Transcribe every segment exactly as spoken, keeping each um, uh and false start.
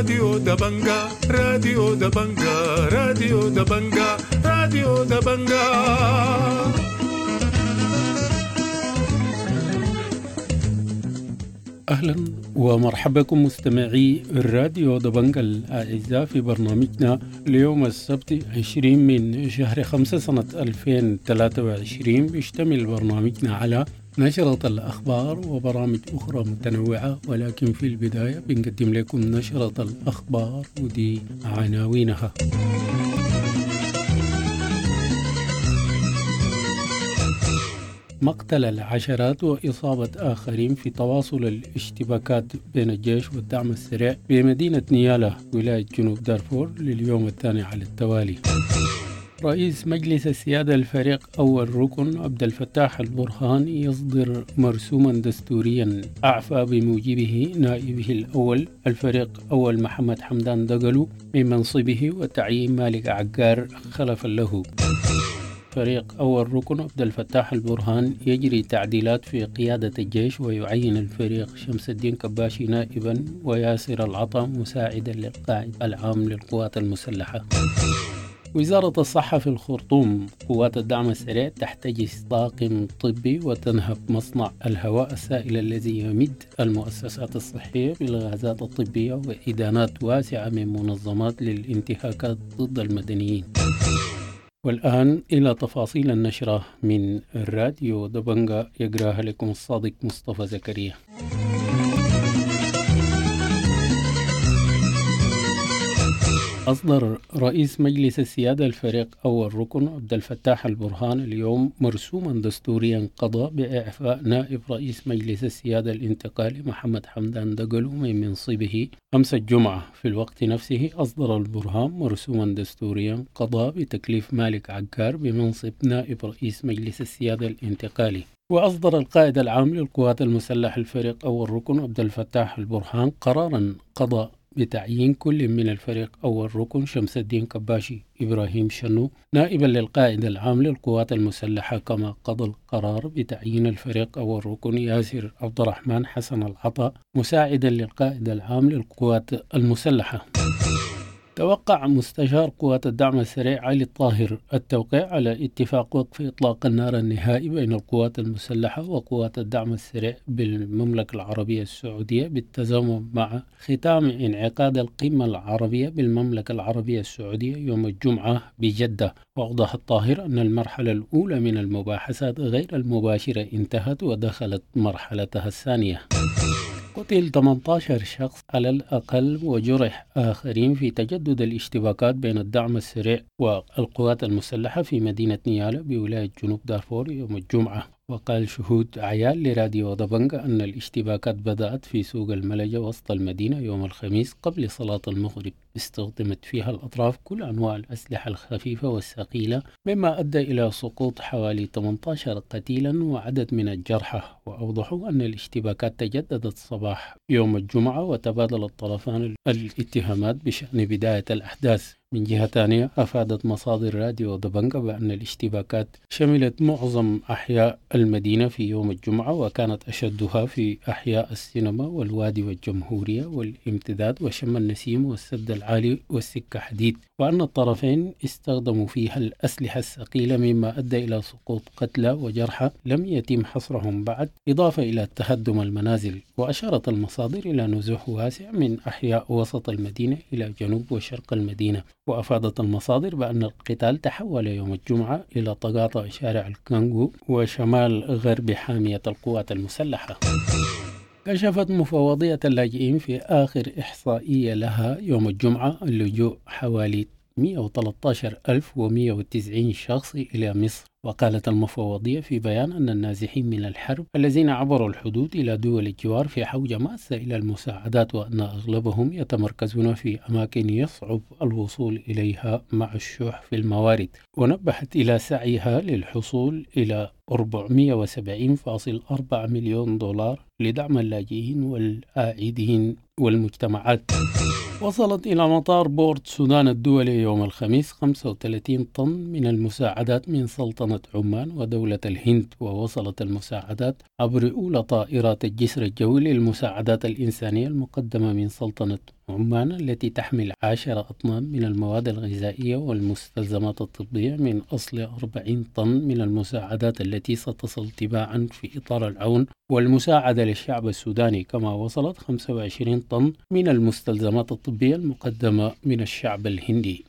راديو دبنجا، راديو دبنجا، راديو دبنجا، راديو دبنجا. أهلا ومرحبا بكم مستمعي الراديو دبنجا الأعزاء في برنامجنا اليوم السبت عشرين من شهر خمسة سنة ألفين وثلاثة وعشرين. بيشتمل برنامجنا على نشرة الأخبار وبرامج أخرى متنوعة، ولكن في البداية بنقدم لكم نشرة الأخبار ودي عناوينها. مقتل العشرات وإصابة آخرين في تواصل الاشتباكات بين الجيش والدعم السريع بمدينة نيالا ولاية جنوب دارفور لليوم الثاني على التوالي. رئيس مجلس السيادة الفريق أول ركن عبد الفتاح البرهان يصدر مرسوما دستوريا أعفى بموجبه نائبه الأول الفريق أول محمد حمدان دقلو من منصبه وتعيين مالك عقار خلفا له. فريق أول ركن عبد الفتاح البرهان يجري تعديلات في قيادة الجيش ويعين الفريق شمس الدين كباشي نائبا وياسر العطا مساعدا للقائد العام للقوات المسلحة. وزارة الصحة في الخرطوم: قوات الدعم السريع تحتجز طاقم طبي وتنهب مصنع الهواء السائل الذي يمد المؤسسات الصحية بالغازات الطبية وإدانات واسعة من منظمات للانتهاكات ضد المدنيين. والآن إلى تفاصيل النشرة من الراديو دبنجا، يقراها لكم الصادق مصطفى زكريا. أصدر رئيس مجلس السيادة الفريق أول ركن عبد الفتاح البرهان اليوم مرسوما دستوريا قضى بإعفاء نائب رئيس مجلس السيادة الانتقالي محمد حمدان دقلو من منصبه أمس الجمعة. في الوقت نفسه أصدر البرهان مرسوما دستوريا قضى بتكليف مالك عقار بمنصب نائب رئيس مجلس السيادة الانتقالي. وأصدر القائد العام للقوات المسلحة الفريق أول ركن عبد الفتاح البرهان قرارا قضى بتعيين كل من الفريق أول ركن شمس الدين كباشي إبراهيم شنو نائبا للقائد العام للقوات المسلحة، كما قضى القرار بتعيين الفريق أول ركن ياسر عبد الرحمن حسن العطا مساعدا للقائد العام للقوات المسلحة. توقع مستشار قوات الدعم السريع علي الطاهر التوقيع على اتفاق وقف إطلاق النار النهائي بين القوات المسلحة وقوات الدعم السريع بالمملكة العربية السعودية بالتزامن مع ختام انعقاد القمة العربية بالمملكة العربية السعودية يوم الجمعة بجدة. وأوضح الطاهر أن المرحلة الأولى من المباحثات غير المباشرة انتهت ودخلت مرحلتها الثانية. قتل ثمانية عشر شخص على الأقل وجرح آخرين في تجدد الاشتباكات بين الدعم السريع والقوات المسلحة في مدينة نيالا بولاية جنوب دارفور يوم الجمعة. وقال شهود عيال لراديو دبنجا أن الاشتباكات بدأت في سوق الملجة وسط المدينة يوم الخميس قبل صلاة المغرب، استخدمت فيها الأطراف كل أنواع الأسلحة الخفيفة والثقيلة، مما أدى إلى سقوط حوالي ثمانية عشر قتيلا وعدد من الجرحى. وأوضحوا أن الاشتباكات تجددت صباح يوم الجمعة وتبادل الطرفان الاتهامات بشأن بداية الأحداث. من جهة ثانية، أفادت مصادر راديو دبنجا بأن الاشتباكات شملت معظم أحياء المدينة في يوم الجمعة، وكانت أشدها في أحياء السينما والوادي والجمهورية والامتداد وشم النسيم والسد العالي والسكة حديد، وأن الطرفين استخدموا فيها الأسلحة الثقيلة مما أدى إلى سقوط قتلى وجرحى لم يتم حصرهم بعد، إضافة إلى تهدم المنازل. وأشارت المصادر إلى نزوح واسع من أحياء وسط المدينة إلى جنوب وشرق المدينة. وأفادت المصادر بأن القتال تحول يوم الجمعة إلى تقاطع شارع الكانغو وشمال غرب حامية القوات المسلحة. كشفت مفوضية اللاجئين في آخر إحصائية لها يوم الجمعة اللجوء حوالي مئة وثلاثة عشر ألف ومئة وتسعين شخص إلى مصر. وقالت المفوضية في بيان أن النازحين من الحرب الذين عبروا الحدود إلى دول الجوار في حوجة ماسة إلى المساعدات، وأن أغلبهم يتمركزون في أماكن يصعب الوصول إليها مع الشح في الموارد. ونبهت إلى سعيها للحصول إلى أربعمئة وسبعين فاصل أربعة مليون دولار لدعم اللاجئين والعائدين والمجتمعات. وصلت إلى مطار بورت سودان الدولي يوم الخميس خمسة وثلاثين طن من المساعدات من سلطنة سلطنة عمان ودولة الهند، ووصلت المساعدات عبر أولى طائرات الجسر الجوي للمساعدات الإنسانية المقدمة من سلطنة عمان التي تحمل عشرة أطنان من المواد الغذائية والمستلزمات الطبية من أصل أربعين طن من المساعدات التي ستصل تباعا في إطار العون والمساعدة للشعب السوداني، كما وصلت خمسة وعشرين طن من المستلزمات الطبية المقدمة من الشعب الهندي.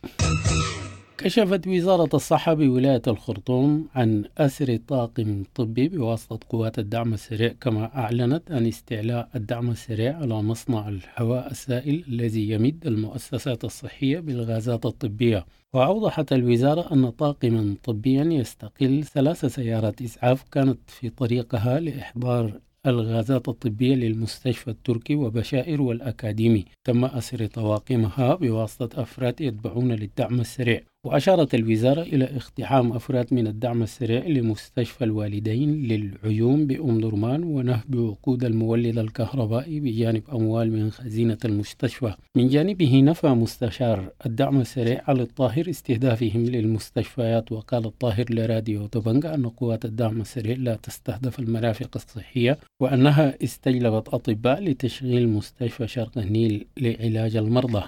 كشفت وزارة الصحة بولاية الخرطوم عن أسر طاقم طبي بواسطة قوات الدعم السريع، كما أعلنت عن استعلاء الدعم السريع على مصنع الهواء السائل الذي يمد المؤسسات الصحية بالغازات الطبية. وأوضحت الوزارة أن طاقما طبيا يستقل ثلاث سيارات إسعاف كانت في طريقها لإحضار الغازات الطبية للمستشفى التركي وبشائر والأكاديمي، تم أسر طواقمها بواسطة أفراد يتبعون للدعم السريع. وأشارت الوزارة إلى اقتحام أفراد من الدعم السريع لمستشفى الوالدين للعيون بأم درمان ونهب وقود المولد الكهربائي بجانب أموال من خزينة المستشفى. من جانبه نفى مستشار الدعم السريع علي الطاهر استهدافهم للمستشفيات، وقال الطاهر لراديو دبنجا أن قوات الدعم السريع لا تستهدف المرافق الصحية وأنها استجلبت أطباء لتشغيل مستشفى شرق النيل لعلاج المرضى.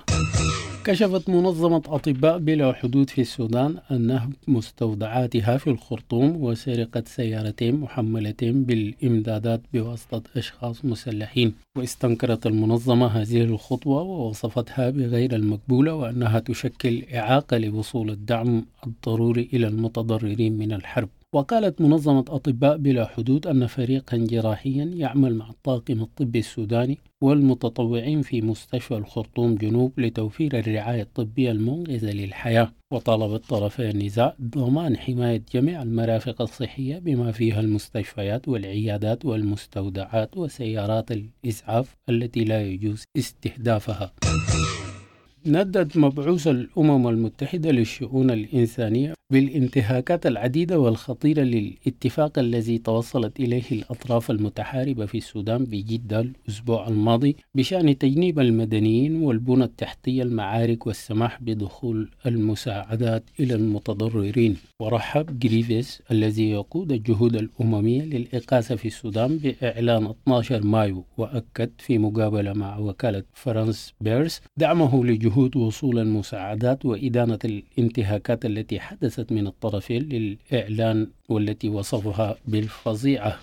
كشفت منظمة أطباء بلا حدود في السودان أن نهب مستودعاتها في الخرطوم وسرقة سيارتين محملتين بالإمدادات بواسطة أشخاص مسلحين. واستنكرت المنظمة هذه الخطوة ووصفتها بغير المقبولة وأنها تشكل إعاقة لوصول الدعم الضروري إلى المتضررين من الحرب. وقالت منظمة أطباء بلا حدود أن فريقا جراحيا يعمل مع الطاقم الطبي السوداني والمتطوعين في مستشفى الخرطوم جنوب لتوفير الرعاية الطبية المنقذة للحياة. وطالبت طرفي النزاع ضمان حماية جميع المرافق الصحية بما فيها المستشفيات والعيادات والمستودعات وسيارات الإسعاف التي لا يجوز استهدافها. ندد مبعوث الأمم المتحدة للشؤون الإنسانية بالانتهاكات العديدة والخطيرة للاتفاق الذي توصلت إليه الأطراف المتحاربة في السودان بجدة الأسبوع الماضي بشأن تجنيب المدنيين والبنى التحتية المعارك والسماح بدخول المساعدات إلى المتضررين. ورحب جريفيس الذي يقود الجهود الأممية للإغاثة في السودان بإعلان اثني عشر مايو، وأكد في مقابلة مع وكالة فرانس بيرس دعمه لجهود وصول المساعدات وإدانة الانتهاكات التي حدثت من الطرفين للإعلان والتي وصفها بالفظيعة.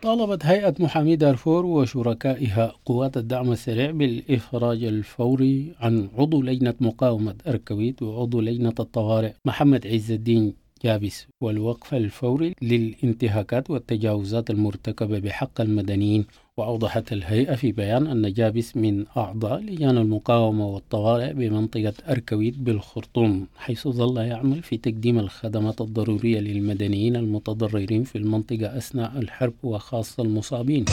طالبت هيئة محامي دارفور وشركائها قوات الدعم السريع بالإفراج الفوري عن عضو لجنة مقاومة أركويت وعضو لجنة الطوارئ محمد عز الدين جابس، والوقف الفوري للانتهاكات والتجاوزات المرتكبة بحق المدنيين. وأوضحت الهيئة في بيان أن جابس من أعضاء لجان المقاومة والطوارئ بمنطقة أركويت بالخرطوم، حيث ظل يعمل في تقديم الخدمات الضرورية للمدنيين المتضررين في المنطقة أثناء الحرب وخاصة المصابين.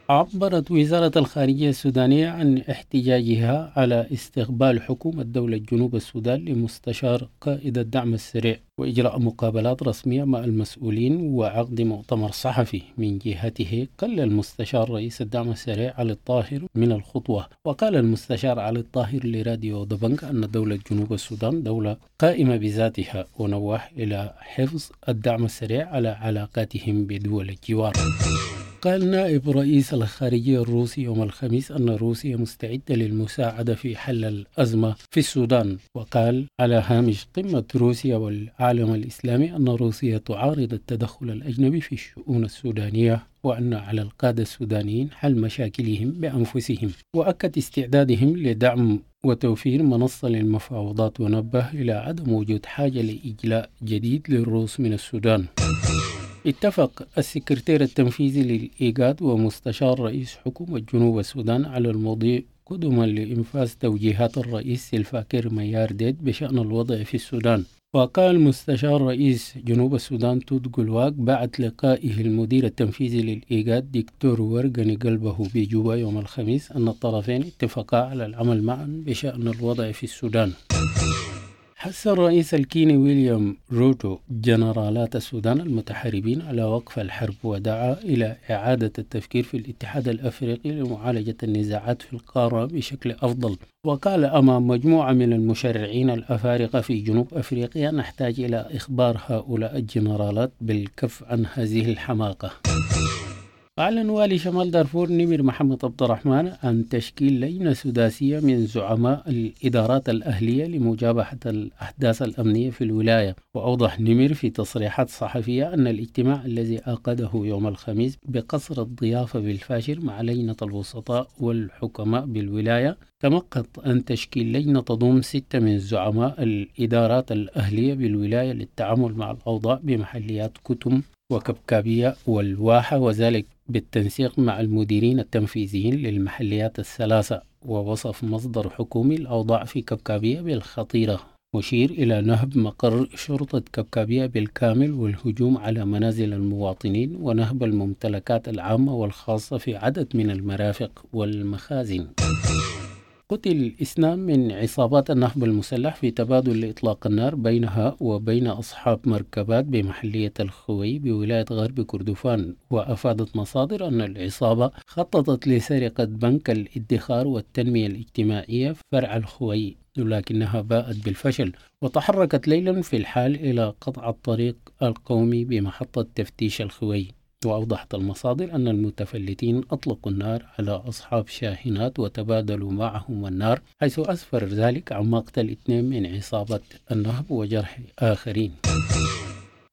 عبرت وزارة الخارجية السودانية عن احتجاجها على استقبال حكومة دولة جنوب السودان لمستشار قائد الدعم السريع وإجراء مقابلات رسمية مع المسؤولين وعقد مؤتمر صحفي. من جهته قل المستشار رئيس الدعم السريع علي الطاهر من الخطوة. وقال المستشار علي الطاهر لراديو دبنك أن دولة جنوب السودان دولة قائمة بذاتها، ونوه إلى حفظ الدعم السريع على علاقاتهم بدول الجوار. قال نائب رئيس الخارجية الروسي يوم الخميس أن روسيا مستعدة للمساعدة في حل الأزمة في السودان. وقال على هامش قمة روسيا والعالم الإسلامي أن روسيا تعارض التدخل الأجنبي في الشؤون السودانية، وأن على القادة السودانيين حل مشاكلهم بأنفسهم، وأكد استعدادهم لدعم وتوفير منصة للمفاوضات، ونبه إلى عدم وجود حاجة لإجلاء جديد للروس من السودان. اتفق السكرتير التنفيذي للإيجاد ومستشار رئيس حكومة جنوب السودان على المضي قدما لإنفاذ توجيهات الرئيس سلفاكير ميارديت بشأن الوضع في السودان. وقال مستشار رئيس جنوب السودان توت قلواك بعد لقائه المدير التنفيذي للإيجاد دكتور ورقني قلبه بجوبا يوم الخميس أن الطرفين اتفقا على العمل معا بشأن الوضع في السودان. حث الرئيس الكيني ويليام روتو جنرالات السودان المتحاربين على وقف الحرب، ودعا إلى إعادة التفكير في الاتحاد الأفريقي لمعالجة النزاعات في القارة بشكل أفضل. وقال أمام مجموعة من المشرعين الأفارقة في جنوب أفريقيا: نحتاج إلى إخبار هؤلاء الجنرالات بالكف عن هذه الحماقة. أعلن والي شمال دارفور نمر محمد عبد الرحمن عن تشكيل لجنة سداسية من زعماء الإدارات الأهلية لمجابهة الأحداث الأمنية في الولاية. وأوضح نمر في تصريحات صحفية أن الاجتماع الذي عقده يوم الخميس بقصر الضيافة بالفاشر مع لجنة الوسطاء والحكماء بالولاية تمقت عن تشكيل لجنة تضم ستة من زعماء الإدارات الأهلية بالولاية للتعامل مع الأوضاع بمحليات كتم وكبكابية والواحة، وذلك بالتنسيق مع المديرين التنفيذيين للمحليات الثلاثة. ووصف مصدر حكومي الأوضاع في كبكابية بالخطيرة، مشير إلى نهب مقر شرطة كبكابية بالكامل والهجوم على منازل المواطنين ونهب الممتلكات العامة والخاصة في عدد من المرافق والمخازن. قتل اثنان من عصابات النهب المسلح في تبادل لإطلاق النار بينها وبين أصحاب مركبات بمحلية الخوي بولاية غرب كردفان. وأفادت مصادر أن العصابة خططت لسرقة بنك الادخار والتنمية الاجتماعية فرع الخوي، لكنها باءت بالفشل، وتحركت ليلا في الحال إلى قطع الطريق القومي بمحطة تفتيش الخوي. وأوضحت المصادر أن المتفلتين أطلقوا النار على أصحاب شاحنات وتبادلوا معهم النار، حيث أسفر ذلك عن مقتل اثنين من عصابة النهب وجرح آخرين.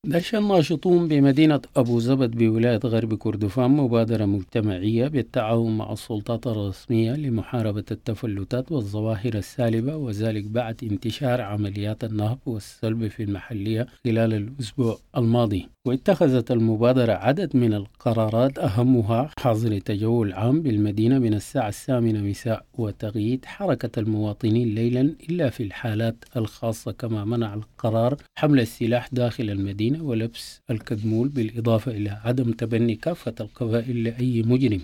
دش الناشطون بمدينة أبو زبد بولاية غرب كردفان مبادرة مجتمعية بالتعاون مع السلطات الرسمية لمحاربة التفلتات والظواهر السالبة، وذلك بعد انتشار عمليات النهب والسلب في المحلية خلال الأسبوع الماضي. واتخذت المبادرة عدد من القرارات، أهمها حظر تجول عام بالمدينة من الساعة الثامنة مساء وتقييد حركة المواطنين ليلا إلا في الحالات الخاصة، كما منع القرار حمل السلاح داخل المدينة ولبس الكدمول، بالإضافة إلى عدم تبني كافة القبائل لأي مجرم.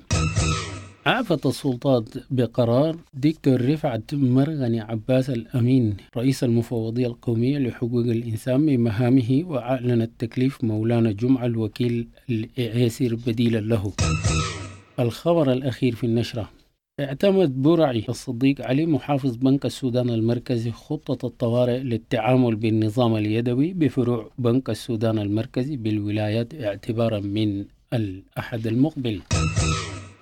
عافت السلطات بقرار دكتور رفعت مرغني عباس الأمين رئيس المفوضية القومية لحقوق الإنسان من مهامه، وأعلنت تكليف مولانا جمعة الوكيل الإعيسر بديلا له. الخبر الأخير في النشرة: اعتمد برعي الصديق علي محافظ بنك السودان المركزي خطة الطوارئ للتعامل بالنظام اليدوي بفروع بنك السودان المركزي بالولايات اعتبارا من الأحد المقبل.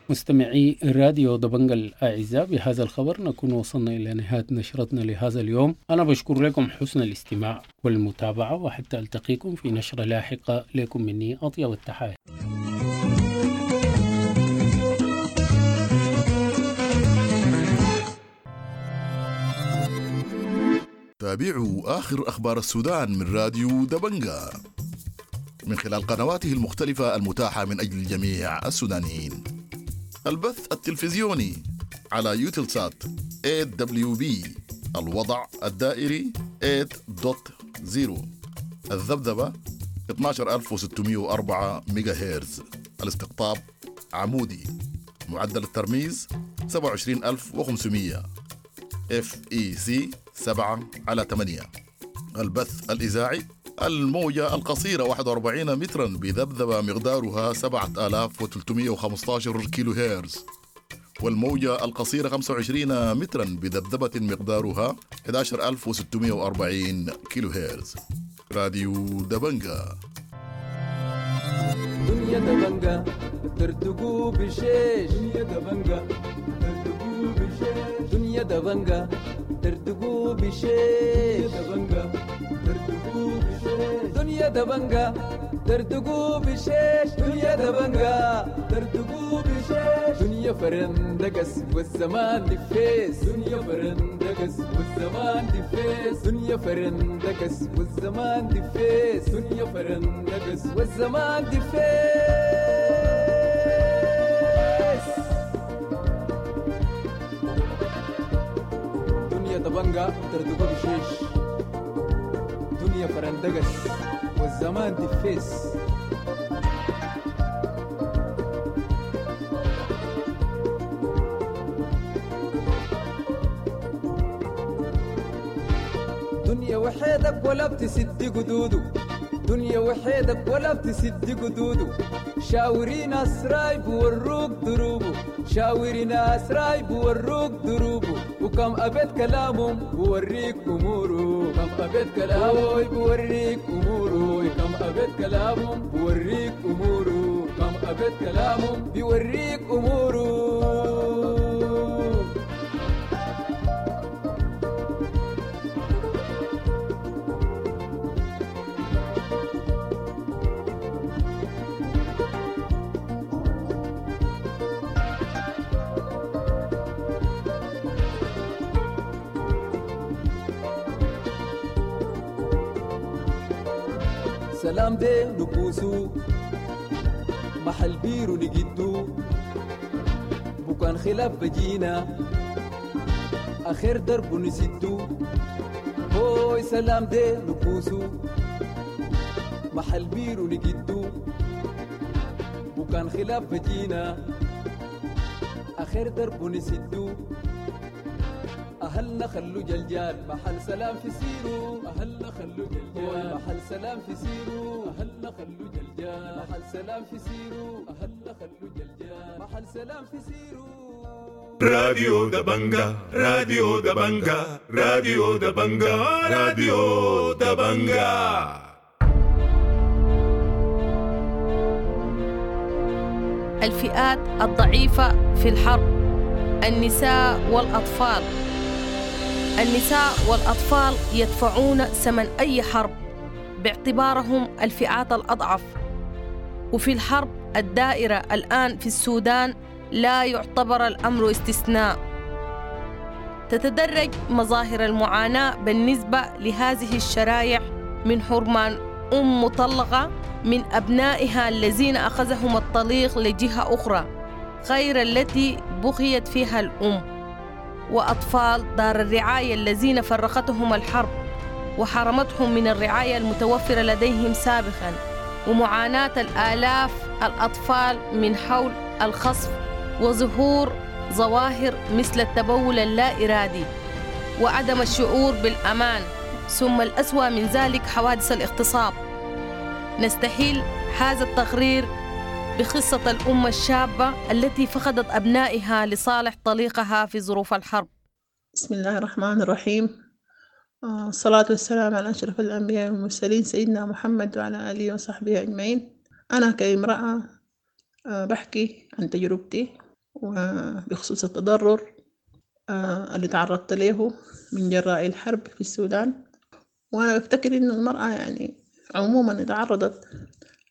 مستمعي راديو دبنجا الأعزاء، بهذا الخبر نكون وصلنا إلى نهاية نشرتنا لهذا اليوم. أنا بشكر لكم حسن الاستماع والمتابعة، وحتى ألتقيكم في نشرة لاحقة، لكم مني أطيب التحايا. تابعوا آخر أخبار السودان من راديو دبنجا من خلال قنواته المختلفة المتاحة من أجل جميع السودانيين. البث التلفزيوني على يوتلسات إيه دبليو بي، الوضع الدائري ثمانية نقطة صفر، الذبذبة اثنا عشر ألف وستمئة وأربعة ميجا هرتز، الاستقطاب عمودي، معدل الترميز سبعة وعشرين ألف وخمسمئة، إف إي سي سبعة على ثمانية. البث الإذاعي الموجة القصيرة واحد وأربعين مترا بذبذبة مقدارها سبعة آلاف وثلاثمئة وخمسة عشر كيلو هرتز، والموجة القصيرة خمسة وعشرين مترا بذبذبة مقدارها أحد عشر ألف وستمئة وأربعين كيلو هرتز. راديو دبنجا. دنيا دبنجا ترتقو بشيش، دنيا دبنجا ترتقو بشيش، دنيا دبنجا ترتقو بشيش، دبنجا ترتقو بشيش، دنيا دبنجا ترتقو بشيش، دنيا دبنجا ترتقو بشيش، دنيا فرندقس والزمان دفيس، دنيا فرندقس والزمان دفيس، دنيا فرندقس والزمان دفيس، دنيا فرندقس والزمان دفيس. دنيا دبنجا ترتقو بشيش، دنيا فرندقس والزمان دفيس. دنيا وحيد وحيدك ولا بتسد قدوده، دنيا وحيدك ولا بتسد قدوده، شاوري ناس رايب وروك دروبه، شاوري ناس رايب وروك دروبه، وكم أبيت كلامهم بوريك أموره، كم أبيت كلامهم بوريك أموره، كم أبيت كلامهم بوريك أموره، كم أبيت كلامهم بيوريك أموره. سلام دي نكوسو محل بيرو نجدو، بكان خلاف بجينا آخر درب نسدو، هوي سلام دي نكوسو محل بيرو نجدو، بكان خلاف بجينا آخر درب نسدو، أهلنا خلو جلجال محل سلام في سيرو، أهلنا خلو جلجال محل سلام في سيرو، أهلنا خلو جلجال محل سلام في سيرو، أهلنا خلو جلجال محل سلام في سيرو. راديو دبنجا، راديو دبنجا، راديو دبنجا، راديو دبنجا. الفئات الضعيفة في الحرب، النساء والأطفال. النساء والأطفال يدفعون ثمن أي حرب باعتبارهم الفئات الأضعف، وفي الحرب الدائرة الآن في السودان لا يعتبر الأمر استثناء. تتدرج مظاهر المعاناة بالنسبة لهذه الشرائح من حرمان أم مطلقة من أبنائها الذين أخذهم الطليق لجهة أخرى غير التي بغيت فيها الأم، وأطفال دار الرعاية الذين فرقتهم الحرب وحرمتهم من الرعاية المتوفرة لديهم سابقاً، ومعاناة الآلاف الأطفال من حول الخصف وظهور ظواهر مثل التبول اللا إرادي وعدم الشعور بالأمان، ثم الأسوأ من ذلك حوادث الاغتصاب. نستحيل هذا التقرير بقصة الأم الشابة التي فقدت أبنائها لصالح طليقها في ظروف الحرب. بسم الله الرحمن الرحيم، الصلاة والسلام على أشرف الأنبياء والمرسلين سيدنا محمد وعلى آله وصحبه أجمعين. أنا كامرأة بحكي عن تجربتي وبخصوص التضرر اللي تعرضت له من جراء الحرب في السودان. وأنا بفتكر إنه المرأة يعني عموما تعرضت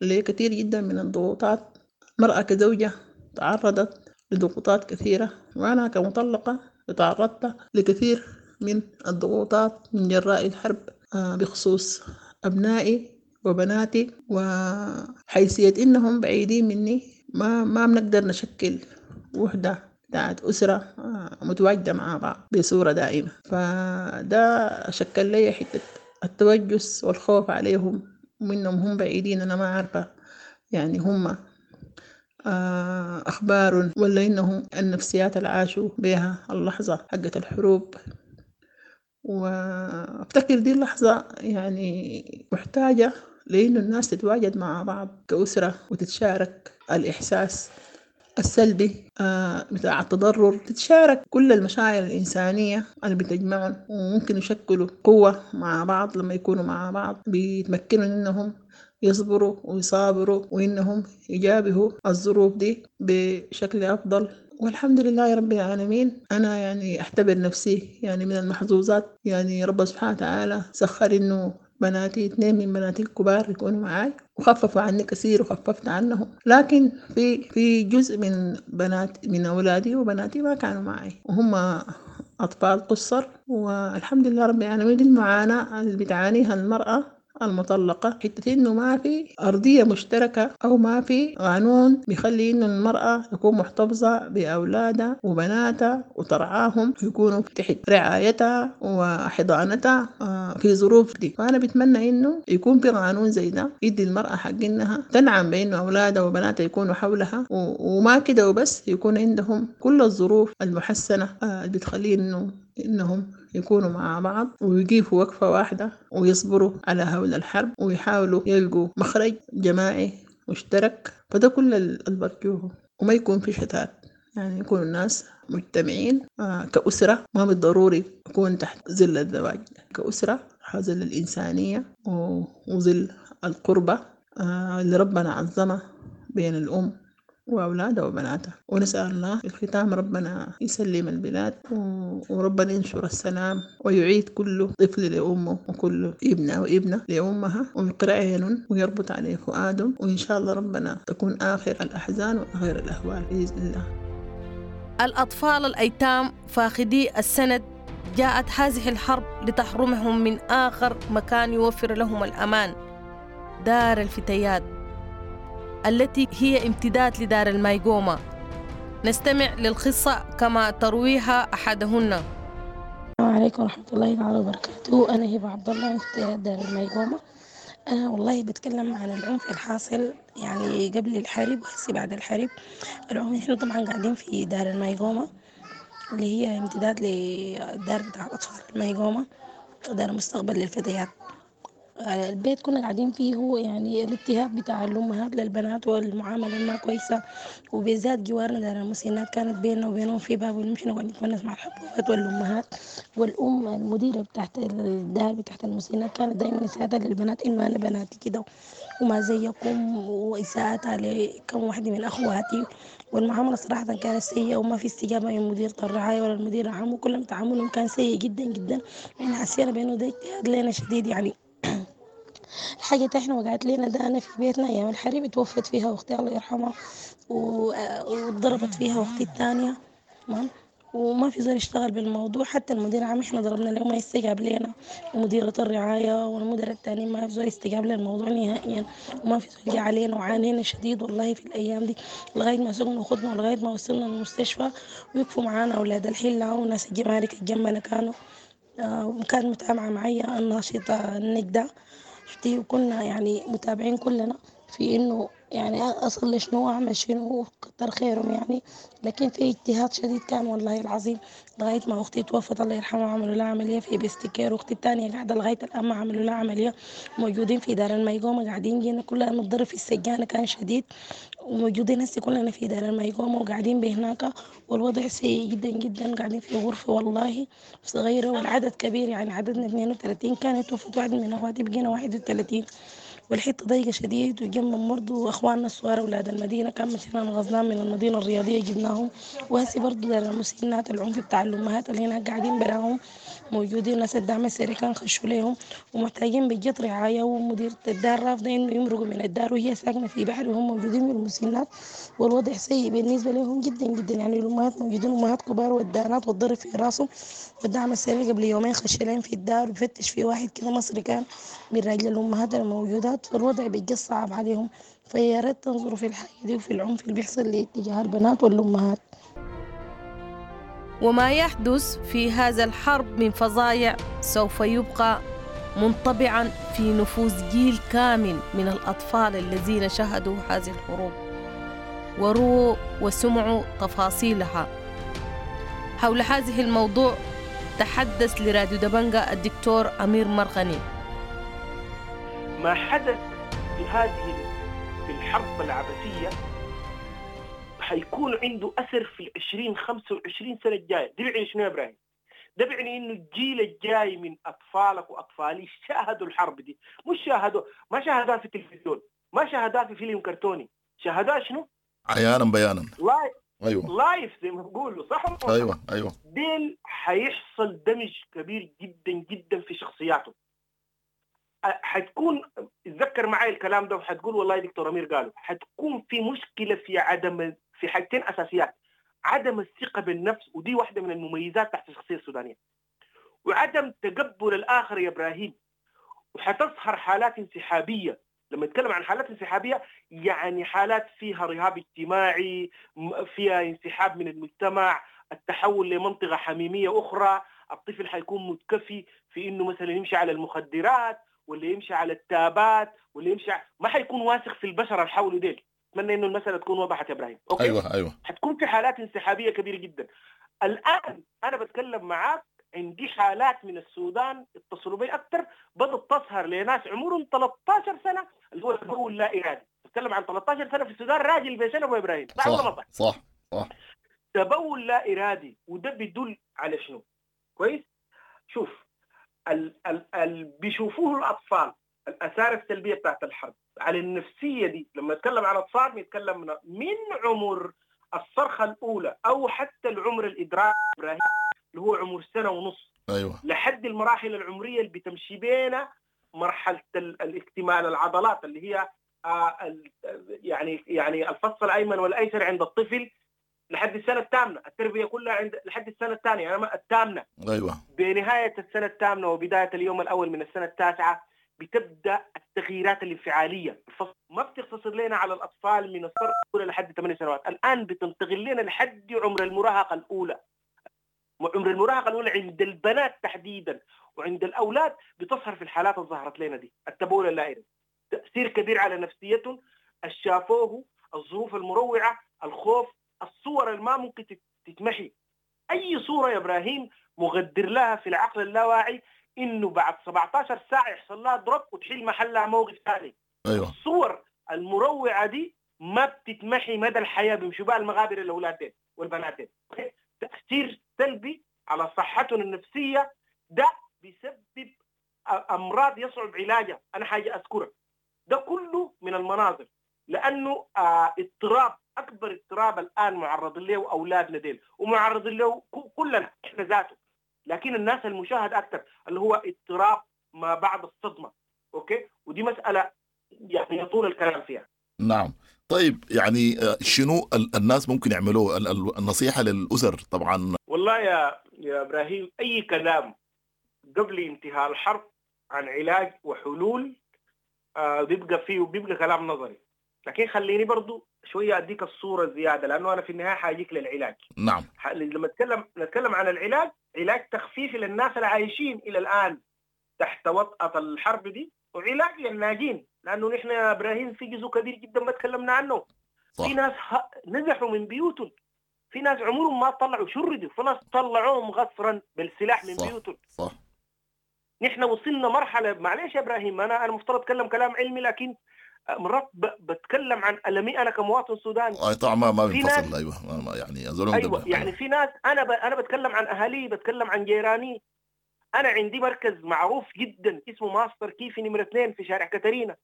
لكثير جدا من الضغوطات. المرأة كزوجة تعرضت لضغوطات كثيرة، وأنا كمطلقة تعرضت لكثير من الضغوطات من جراء الحرب بخصوص أبنائي وبناتي، وحيثية إنهم بعيدين مني، ما ما بنقدر نشكل وحدة بتاعت أسرة متواجدة مع بعض بصورة دائمة. فده شكل لي حتة التوجس والخوف عليهم ومنهم هم بعيدين، أنا ما عارفة يعني هم أخبار ولا إنهم النفسيات اللي عاشوا بها اللحظة حقت الحروب. وأفتكر دي اللحظة يعني محتاجة لأنه الناس تتواجد مع بعض كأسرة وتتشارك الإحساس السلبي بتاع التضرر، تتشارك كل المشاعر الإنسانية اللي بتجمعهم، وممكن يشكلوا قوة مع بعض لما يكونوا مع بعض، بيتمكنوا إنهم يصبروا ويصابروا وإنهم يجابهوا الظروف دي بشكل أفضل. والحمد لله رب العالمين، أنا يعني أعتبر نفسي يعني من المحظوظات، يعني رب سبحانه وتعالى سخر إنه بناتي اثنين من بناتي الكبار يكونوا معاي وخففوا عني كثير وخففت عنهم، لكن في في جزء من بنات من أولادي وبناتي ما كانوا معي وهم أطفال قصر. والحمد لله رب العالمين، المعاناة اللي بتعانيها المرأة المطلقة حتة إنه ما في أرضية مشتركة أو ما في قانون بيخلي إنه المرأة تكون محتفظة بأولادها وبناتها وترعاهم ويكونوا تحت رعايتها وحضانتها في ظروف دي. فأنا بتمنى إنه يكون في قانون زي ده يدي المرأة حق إنها تنعم بإنه أولادها وبناتها يكونوا حولها، وما كده وبس، يكون عندهم كل الظروف المحسنة اللي بتخلي إنه إنهم يكونوا مع بعض ويقيفوا وقفة واحدة ويصبروا على هول الحرب ويحاولوا يلقوا مخرج جماعي مشترك. فده كل اللي برجوه، وما يكون في شتات، يعني يكون الناس مجتمعين كأسرة، ما بالضروري يكون تحت ظل الزواج، كأسرة ظل الإنسانية وظل القربة اللي ربنا عظمه بين الأم وأولادها وبناتها. ونسأل الله في الختام ربنا يسلم البلاد وربنا ينشر السلام ويعيد كل طفل لأمه وكل ابنة وابنة لأمها ويقرأ عينهم ويربط عليه فؤادهم، وإن شاء الله ربنا تكون آخر الأحزان وآخر الأهوال بإذن الله. الأطفال الأيتام فاقدي السند جاءت هذه الحرب لتحرمهم من آخر مكان يوفر لهم الأمان، دار الفتيات التي هي امتداد لدار المايقوما. نستمع للقصة كما ترويها أحدهن. السلام عليكم ورحمة الله تعالى وبركاته. أنا هبة عبد الله من فتيات دار المايقوما. أنا والله بتكلم عن العنف الحاصل يعني قبل الحرب وهسي بعد الحرب. العنف إحنا طبعا قاعدين في دار المايقوما اللي هي امتداد للدار بتاع الأطفال المايقوما، دار مستقبل للفتيات. البيت كنا قاعدين فيه هو يعني الاضطهاد بتاع الأمهات للبنات والمعاملة ما كويسة، وبالذات جوارنا دار المسنات كانت بيننا وبينهم في باب، ونمشي نقعد نتونس مع الحبوبات والأمهات. والأم المديرة بتاعت الدار بتاعت المسنات كانت دايما إساءتها للبنات إنه أنا بناتي كده وما زيكم، وإساءتها لكم واحدة من أخواتي. والمعاملة صراحة كانت سيئة وما في استجابة من مديرة الرعاية ولا المدير العام، وكلهم تعاملهم كان سيء جدا جدا. احنا حسينا بأنه ده اجتهاد لنا شديد يعني. الحاجة احنا وقعت لنا ده أنا في بيتنا أيام الحرب توفت فيها أختي الله يرحمها، وضربت فيها أختي الثانية، تمام، وما في زول اشتغل بالموضوع. حتى المدير العام احنا ضربنا له ما يستجاب لنا، ومديرة الرعاية والمدير الثاني ما في زول يستجاب للموضوع نهائيا، وما في زول جه علينا وعانينا شديد والله في الأيام دي لغاية ما سقنا وخدنا ولغاية ما وصلنا المستشفى. ويقفوا معانا أولاد الحلة وناس الجمارك الجنبنا كانوا، وكانت متابعة معي الناشطة النجدة شفتي، وكنا يعني متابعين كلنا في إنه يعني أصل شنو أعمل شنو، كتر خيرهم يعني. لكن في اجتهاد شديد كان والله العظيم لغاية ما أختي توفت الله يرحمها، عملوا لها عملية في بستكير، وأختي الثانية قاعدة لغاية الآن ما عملوا لها عملية، موجودين في دار المايقوما قاعدين. جينا كلنا نتضرب في السجانة كان شديد، وموجودين هسه كلنا في دار المايقوما وقاعدين بهناك، والوضع سيء جدا جدا. قاعدين في غرفة والله صغيرة والعدد كبير، يعني عددنا اثنين وثلاثين، كانت توفت واحد من أخواتي بقينا واحد وثلاثين، والحته ضيقه شديد. وجنب برضه اخواننا الصغار اولاد المدينه كان مشينا غزنان من المدينه الرياضيه جبناهم. وهسي برضه دار المسنات العنف بتاع الامهات اللي هناك قاعدين براهم موجودين، ناس الدعم السريع كان خشوا لهم ومحتاجين بجد رعايه، ومديرة الدار رافضه انه يمرقوا من الدار وهي ساكنه في بحر وهم موجودين في المسنات، والوضع سيء بالنسبه لهم جدا جدا. يعني الامهات موجودين امهات كبار والدانات والضرب في راسهم، والدعم السريع قبل يومين خش لهم في الدار وفتش في واحد كده مصري كان من راجل الامهات الموجودات، فالوضع بيجي صعب عليهم. فيا ريت تنظروا في الحاجة دي وفي العنف اللي بيحصل لاتجاه البنات والأمهات. وما يحدث في هذا الحرب من فظايع سوف يبقى منطبعا في نفوس جيل كامل من الأطفال الذين شاهدوا هذه الحروب وروا وسمعوا تفاصيلها. حول هذه الموضوع تحدث لراديو دبنجة الدكتور أمير مرغني. ما حدث في هذه في الحرب العبثية حيكون عنده أثر في العشرين خمسة وعشرين سنة الجاية. ده بيعني شنو يا إبراهيم؟ ده بيعني إنه الجيل الجاي من أطفالك وأطفالي شاهدوا الحرب دي، مش شاهدوا، ما شاهدوها في التلفزيون، ما شاهدوها في فيلم كرتوني، شاهدوها شنو؟ عيانا بيانا، live. أيوة. live زي ما بقولوا، صح؟ أيوة أيوة. ديل حيحصل دمج كبير جدا جدا في شخصياته. حتكون، اتذكر معي الكلام ده وحتقول والله دكتور أمير قالوا، حتكون في مشكلة في عدم، في حاجتين أساسيات: عدم الثقة بالنفس، ودي واحدة من المميزات تحت الشخصية السودانية، وعدم تقبل الآخر يا إبراهيم. وحتظهر حالات انسحابية. لما نتكلم عن حالات انسحابية يعني حالات فيها رهاب اجتماعي، فيها انسحاب من المجتمع، التحول لمنطقة حميمية أخرى، الطفل حيكون متكفي في إنه مثلا يمشي على المخدرات ولا يمشي على التابات ولا يمشي، ما حيكون واثق في البشر اللي حوله ديل. اتمنى انه المساله تكون وضحت يا ابراهيم. okay؟ ايوه ايوه. حتكون في حالات انسحابيه كبيره جدا. الان انا بتكلم معاك عندي حالات من السودان اتصلوا بي اكثر، بدأت تظهر لناس عمرهم ثلاثة عشر سنة اللي هو تبول لا ارادي. بتكلم عن ثلاثة عشر سنة في السودان، راجل بسنة ابو ابراهيم. صح صح صح, صح. تبول لا ارادي، وده بيدل على شنو؟ كويس؟ شوف ال ال ال بيشوفوه الاطفال الاثار السلبية بتاعت الحرب على النفسية دي. لما نتكلم عن اطفال بنتكلم من, من عمر الصرخة الاولى او حتى العمر الادراك ابراهيم اللي هو عمر سنة ونص، ايوه، لحد المراحل العمرية اللي بتمشي بينا مرحلة الاكتمال العضلات اللي هي آه يعني يعني الفص الايمن والايسر عند الطفل لحد السنة الثامنة، التربية كلها عند لحد السنة الثانية يعني الثامنة، ايوه، بنهاية السنة الثامنة وبداية اليوم الاول من السنة التاسعة بتبدا التغييرات الانفعاليه. الفصل ما بتقتصر لنا على الاطفال من السنة الاولى لحد ثمان سنوات، الان بتنتقل لنا لحد عمر المراهقة الاولى. عمر المراهقة الاولى عند البنات تحديدا وعند الاولاد بتظهر في الحالات اللي ظهرت لنا دي، التبول اللا ارادي، تاثير كبير على نفسيتهم، الشافوه، الظروف المروعه، الخوف، الصور اللي ما ممكن تتمحي. اي صوره يا ابراهيم مغدر لها في العقل اللاواعي انه بعد سبعة عشر ساعة يحصل لها drop وتحل محلها موقف ثاني. ايوه، الصور المروعه دي ما بتتمحي مدى الحياة، بيمشوا بها المغابر الاولاد والبنات. تاثير سلبي على صحتهم النفسية، ده بيسبب امراض يصعب علاجها، انا حاجة اذكرها. ده كله من المناظر، لانه آه اضطراب، اكبر اضطراب الان معرض له اولادنا ديل ومعرض له كلنا احنا ذاته، لكن الناس المشاهد اكثر اللي هو اضطراب ما بعد الصدمة. okay، ودي مسالة يعني يطول الكلام فيها. نعم. طيب يعني شنو الناس ممكن يعملوه؟ النصيحة للاسر طبعا. والله يا يا ابراهيم اي كلام قبل انتهاء الحرب عن علاج وحلول آه بيبقى فيه بيبقى كلام نظري، لكن خليني برضو شوية اديك الصورة زيادة لانه انا في النهاية حاجيك للعلاج. نعم. لما نتكلم نتكلم عن العلاج، علاج تخفيفي للناس العايشين الى الان تحت وطأة الحرب دي، وعلاج للناجين، لانه نحن يا ابراهيم في جزء كبير جدا ما تكلمنا عنه. صح. في ناس نزحوا من بيوتهم، في ناس عمرهم ما طلعوا شردوا، في ناس طلعوهم غصرا بالسلاح من صح. بيوتهم. صح. نحن وصلنا مرحلة، معلش يا ابراهيم انا انا مفترض اتكلم كلام علمي، لكن مرات بتكلم عن ألمي انا كمواطن سوداني. اي طبعا ما ما بينفصل. ايوه ما يعني أزولهم. ايوه يعني في ناس انا ب... انا بتكلم عن اهالي، بتكلم عن جيراني. انا عندي مركز معروف جدا اسمه ماستر كيفي نمره اثنين في شارع كاترينا.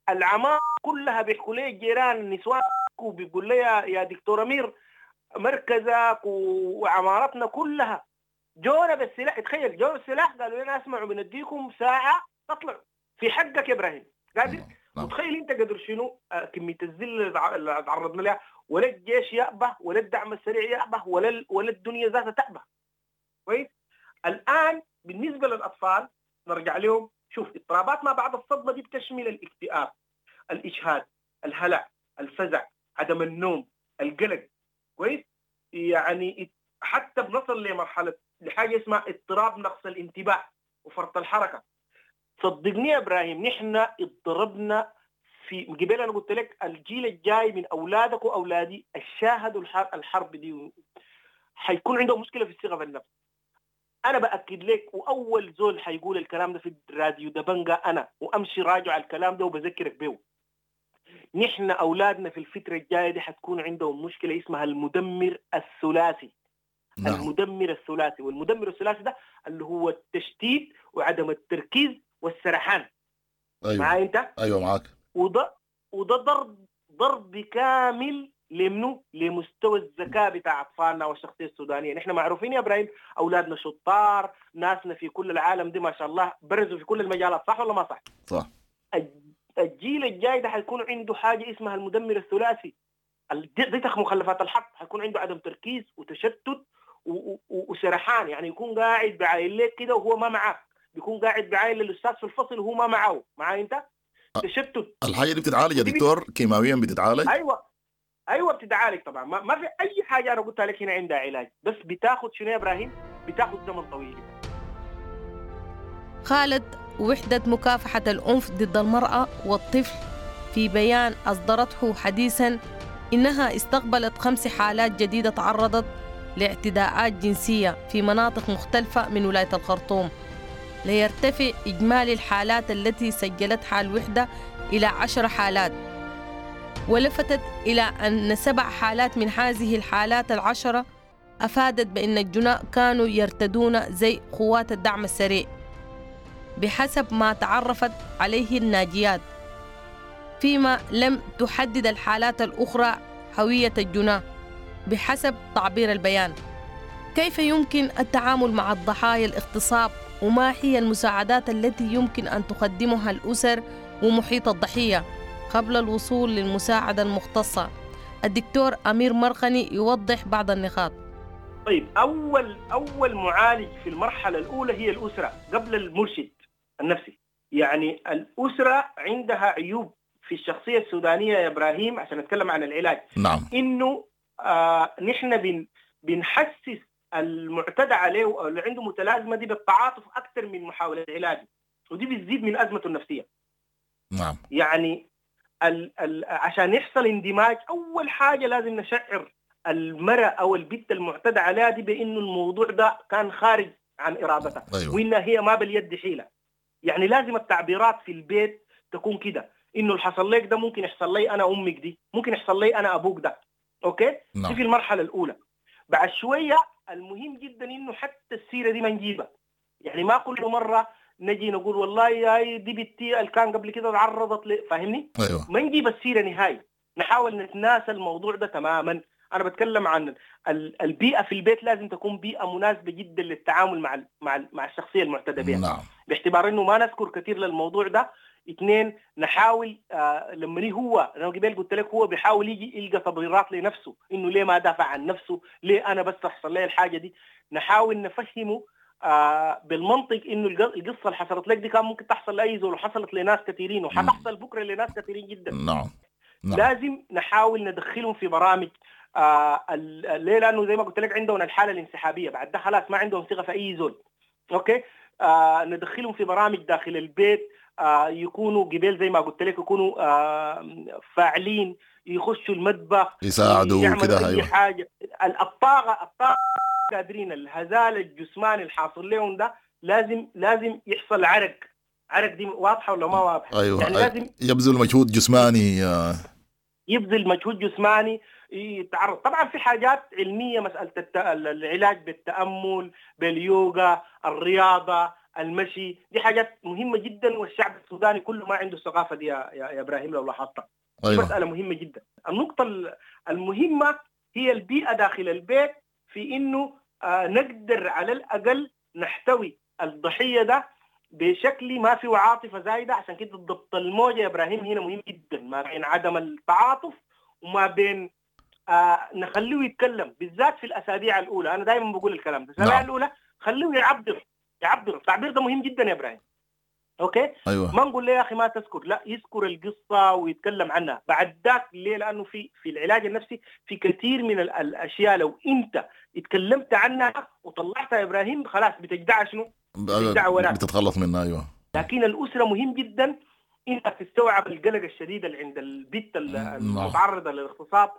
العمارة كلها بيحكوا لي الجيران النسوان وبيقول لي يا دكتور امير مركزك وعمارتنا كلها جونا بالسلاح. تخيل جونا بالسلاح، قالوا لنا اسمعوا بنديكم ساعة تطلعوا في حقك يا ابراهيم. قادر؟ وتخيل انت قدر شنو كمية الذل اللي تعرضنا لها، ولا الجيش يأبه ولا الدعم السريع يأبه ولا ولا الدنيا ذاتها تأبه. كويس؟ الان بالنسبة للاطفال نرجع لهم. شوف اضطرابات ما بعد الصدمة دي بتشمل الاكتئاب، الاجهاد، الهلع، الفزع، عدم النوم، القلق. كويس؟ يعني حتى بنصل لمرحلة لحاجة اسمها اضطراب نقص الانتباه وفرط الحركة. صدقني يا ابراهيم نحن اضطربنا في قبل. انا قلت لك الجيل الجاي من اولادك واولادي الشاهدوا الحرب دي حيكون عندهم مشكلة في الثقة بالنفس. انا باكد لك، واول زول حيقول الكلام ده في الراديو دبنجا انا، وامشي راجع على الكلام ده وبذكرك بيه. نحن اولادنا في الفترة الجاية دي حتكون عندهم مشكلة اسمها المدمر الثلاثي. نعم. المدمر الثلاثي، والمدمر الثلاثي ده اللي هو التشتيت وعدم التركيز والسرحان. ايوه معاي انت؟ ايوه معاك. وده وده ضرب ضرب كامل لمنو؟ لمستوى الذكاء بتاع اطفالنا والشخصية السودانية. نحن معروفين يا ابراهيم اولادنا شطار، ناسنا في كل العالم دي ما شاء الله برزوا في كل المجالات، صح ولا ما صح؟ صح. الجيل الجاي ده حيكون عنده حاجة اسمها المدمر الثلاثي، دي مخلفات الحرب، حيكون عنده عدم تركيز وتشتت وسرحان، يعني يكون قاعد بعاين لك كده وهو ما معاك، بيكون قاعد بعاين للاستاذ في الفصل وهو ما معاه، معاي انت؟ تشتت. الحاجة دي بتتعالج يا دكتور؟ كيماويا بتتعالج؟ ايوه ايوه بتتعالج طبعا، ما, ما في اي حاجة انا قلتها لك هنا عندها علاج، بس بتاخذ شنو يا ابراهيم؟ بتاخذ زمن طويل. خالد، وحدة مكافحة العنف ضد المرأة والطفل في بيان أصدرته حديثا إنها استقبلت خمس حالات جديدة تعرضت لاعتداءات جنسية في مناطق مختلفة من ولاية الخرطوم، ليرتفع إجمالي الحالات التي سجلتها الوحدة إلى عشر حالات. ولفتت إلى أن سبع حالات من هذه الحالات العشرة أفادت بأن الجناء كانوا يرتدون زي قوات الدعم السريع بحسب ما تعرفت عليه الناجيات، فيما لم تحدد الحالات الأخرى هوية الجناة بحسب تعبير البيان. كيف يمكن التعامل مع الضحايا الاغتصاب، وما هي المساعدات التي يمكن أن تقدمها الأسر ومحيط الضحية قبل الوصول للمساعدة المختصة؟ الدكتور أمير مرقني يوضح بعض النقاط. طيب، أول أول معالج في المرحلة الأولى هي الأسرة قبل المرشد النفسي. يعني الأسرة عندها عيوب في الشخصية السودانية يا إبراهيم، عشان نتكلم عن العلاج. نعم. إنه آه نحن بن بنحسس المعتدى عليه أو اللي عنده متلازمة دي بالتعاطف أكثر من محاولة علاجه، ودي بتزيد من أزمته النفسية. نعم. يعني ال ال عشان يحصل اندماج أول حاجة لازم نشعر المرأة أو البنت المعتدى عليها دي بإنه الموضوع ده كان خارج عن إرادتها. أيوة. وإنها هي ما باليد حيلة. يعني لازم التعبيرات في البيت تكون كده، إنه اللي حصل لك ده ممكن يحصل لي أنا أمك دي، ممكن يحصل لي أنا أبوك ده. okay؟ نعم. دي في المرحلة الأولى. بعد شوية المهم جدا إنه حتى السيرة دي ما نجيبها. يعني ما كل مرة نجي نقول والله يا دي بنتي اللي كان قبل كده تعرضت ل... فاهمني؟ أيوة. ما نجيب السيرة نهائي، نحاول نتناسى الموضوع ده تماما. أنا بتكلم عن البيئة في البيت، لازم تكون بيئة مناسبة جدا للتعامل مع مع مع الشخصية المعتدى بها. نعم. باعتبار إنه ما نذكر كثير للموضوع ده. اثنين، نحاول آه لما هو أنا قبل قلت لك هو بيحاول يجي يلقى تبريرات لنفسه إنه ليه ما دافع عن نفسه، ليه أنا بس تحصل لي الحاجة دي. نحاول نفهمه آه بالمنطق إنه القصة اللي حصلت لك دي كان ممكن تحصل لأي زول، وحصلت لناس كثيرين وحتحصل بكرة لناس كثيرين جدا. نعم. نعم. لازم نحاول ندخلهم في برامج. آه ليه؟ لأنه زي ما قلت لك عندهم الحالة الانسحابية، بعد ده خلاص ما عندهم ثقة في أي زول. okay؟ آه ندخلهم في برامج داخل البيت، آه يكونوا قبل زي ما قلت لك يكونوا آه فاعلين، يخشوا المطبخ، يساعدوا كده، أي حاجة. الطاقة الطاقة قادرين، الهزال الجسماني الحاصل لهم ده لازم لازم يحصل عرق. عرق دي واضحة ولا ما واضحة؟ أيوة. يعني لازم يبذل مجهود جسماني، يبذل مجهود جسماني، يتعرض. طبعا في حاجات علمية، مسألة الت... العلاج بالتأمل، باليوغا، الرياضة، المشي، دي حاجات مهمة جدا، والشعب السوداني كله ما عنده الثقافة دي يا, يا إبراهيم لو لاحظتها. أيوة. مسألة مهمة جدا. النقطة المهمة هي البيئة داخل البيت، في إنه آه نقدر على الأقل نحتوي الضحية ده بشكل ما فيه عاطفة زايدة. عشان كده ضبط الموجة يا إبراهيم هنا مهم جدا، ما بين عدم التعاطف وما بين آه نخليه يتكلم، بالذات في الأسابيع الأولى. أنا دائما بقول الكلام ده، الأسابيع الأولى خليه يعبر، يعبر. التعبير ده مهم جدا يا إبراهيم. okay؟ أيوة. ما نقول له يا أخي ما تذكر، لا، يذكر القصة ويتكلم عنها بعد ذاك. ليه؟ لأنه في في العلاج النفسي في كثير من الأشياء لو أنت اتكلمت عنها وطلعتها يا إبراهيم خلاص بتجدع شنو؟ بتجدع وراك، بتتخلص منها. أيوة. لكن الأسرة مهم جدا أنت تستوعب القلق الشديد اللي عند البت المتعرضة للاغتصاب،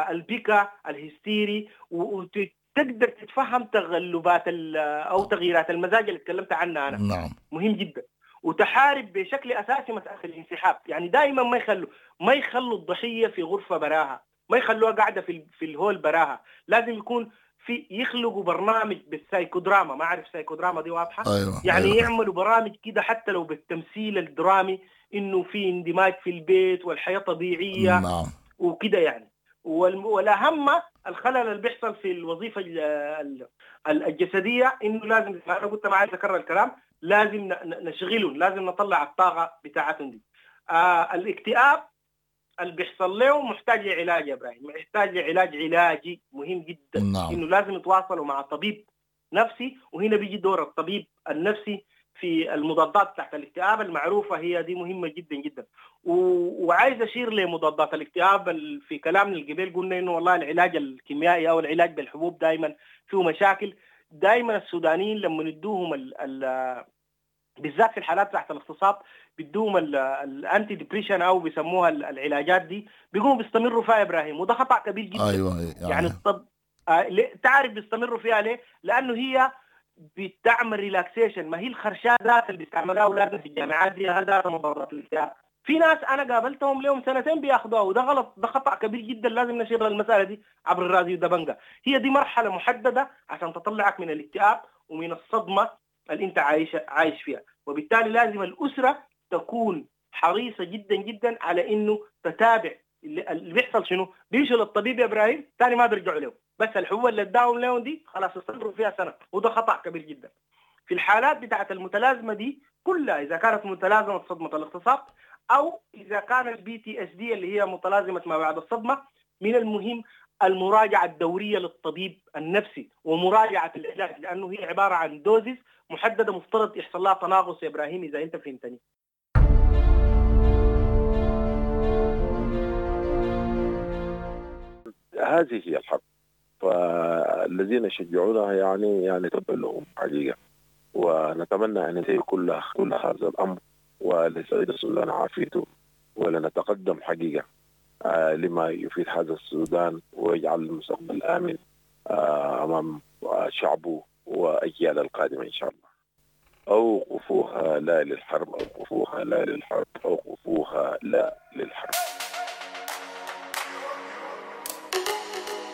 البكا الهستيري، وتقدر تتفهم تغلبات أو تغييرات المزاج اللي تكلمت عنها أنا. نعم. مهم جدا. وتحارب بشكل أساسي مسألة الانسحاب. يعني دائما ما يخلوا ما يخلوا الضحية في غرفة براها، ما يخلوها قاعدة في في الهول براها. لازم يكون في، يخلقوا برنامج بالسايكودراما. ما أعرف سايكودراما دي واضحة؟ أيوة. يعني أيوة. يعملوا برامج كده حتى لو بالتمثيل الدرامي، إنه في اندماج في البيت والحياة طبيعية. نعم. وكده يعني. والأهم الخلل اللي بيحصل في الوظيفة الجسدية، إنه لازم، أنا قلت ما عايز أكرر الكلام، لازم نشغلهم، لازم نطلع الطاقة بتاعتهم دي. آه الاكتئاب اللي بيحصل له محتاج لعلاج يا إبراهيم، محتاج لعلاج علاجي مهم جدا. نعم. إنه لازم يتواصلوا مع طبيب نفسي، وهنا بيجي دور الطبيب النفسي في المضادات تحت الاكتئاب المعروفة، هي دي مهمة جدا جدا. و... وعايز أشير لمضادات الاكتئاب في كلامنا القبيل، قلنا إنه والله العلاج الكيميائي أو العلاج بالحبوب دائما فيه مشاكل. دائما السودانيين لما ندوهم ال... ال... بالذات في الحالات تحت الاغتصاب بيدوهم ال anti-depression او بيسموها العلاجات دي، بيقوموا بيستمروا فيها يا ابراهيم، وده خطأ كبير جدا. ايوه يعني, يعني الطب آه تعرف بيستمروا فيها ليه؟ لانه هي بتعمل relaxation. ما هي الخرشات ذات اللي بيستعملوها اولادنا في الجامعات دي ذات مضادات الاكتئاب. في ناس انا قابلتهم لهم سنتين بياخذوها، وده غلط، ده خطا كبير جدا. لازم نشير المسالة دي عبر الراديو دبنجة. هي دي مرحلة محددة عشان تطلعك من الاكتئاب ومن الصدمة اللي انت عايش عايش فيها، وبالتالي لازم الاسرة تكون حريصة جدا جدا على انه تتابع اللي بيحصل شنو. بيمشوا للطبيب يا ابراهيم ثاني ما بيرجعوا له، بس الحبوب اللي اداهم لهم دي خلاص استمروا فيها سنة، وده خطا كبير جدا. في الحالات بتاعه المتلازمه دي كلها، اذا كانت متلازمة صدمة الاغتصاب او اذا كان ال PTSD اللي هي متلازمة ما بعد الصدمة، من المهم المراجعة الدورية للطبيب النفسي ومراجعة العلاج، لانه هي عبارة عن doses محددة مفترض يحصل لها تناقص يا ابراهيم اذا انت فهمتني. هذه هي الحرب، فالذين يشجعونها يعني يعني تبا لهم حقيقة، ونتمنى ان ينتهي كل كل هذا الامر ولسعيد السودان عافيته، ولنتقدم حقيقة آه لما يفيد هذا السودان ويجعل المستقبل امن آه امام شعبه واجيال القادمة ان شاء الله. اوقفوها لا للحرب، اوقفوها لا للحرب، اوقفوها لا للحرب.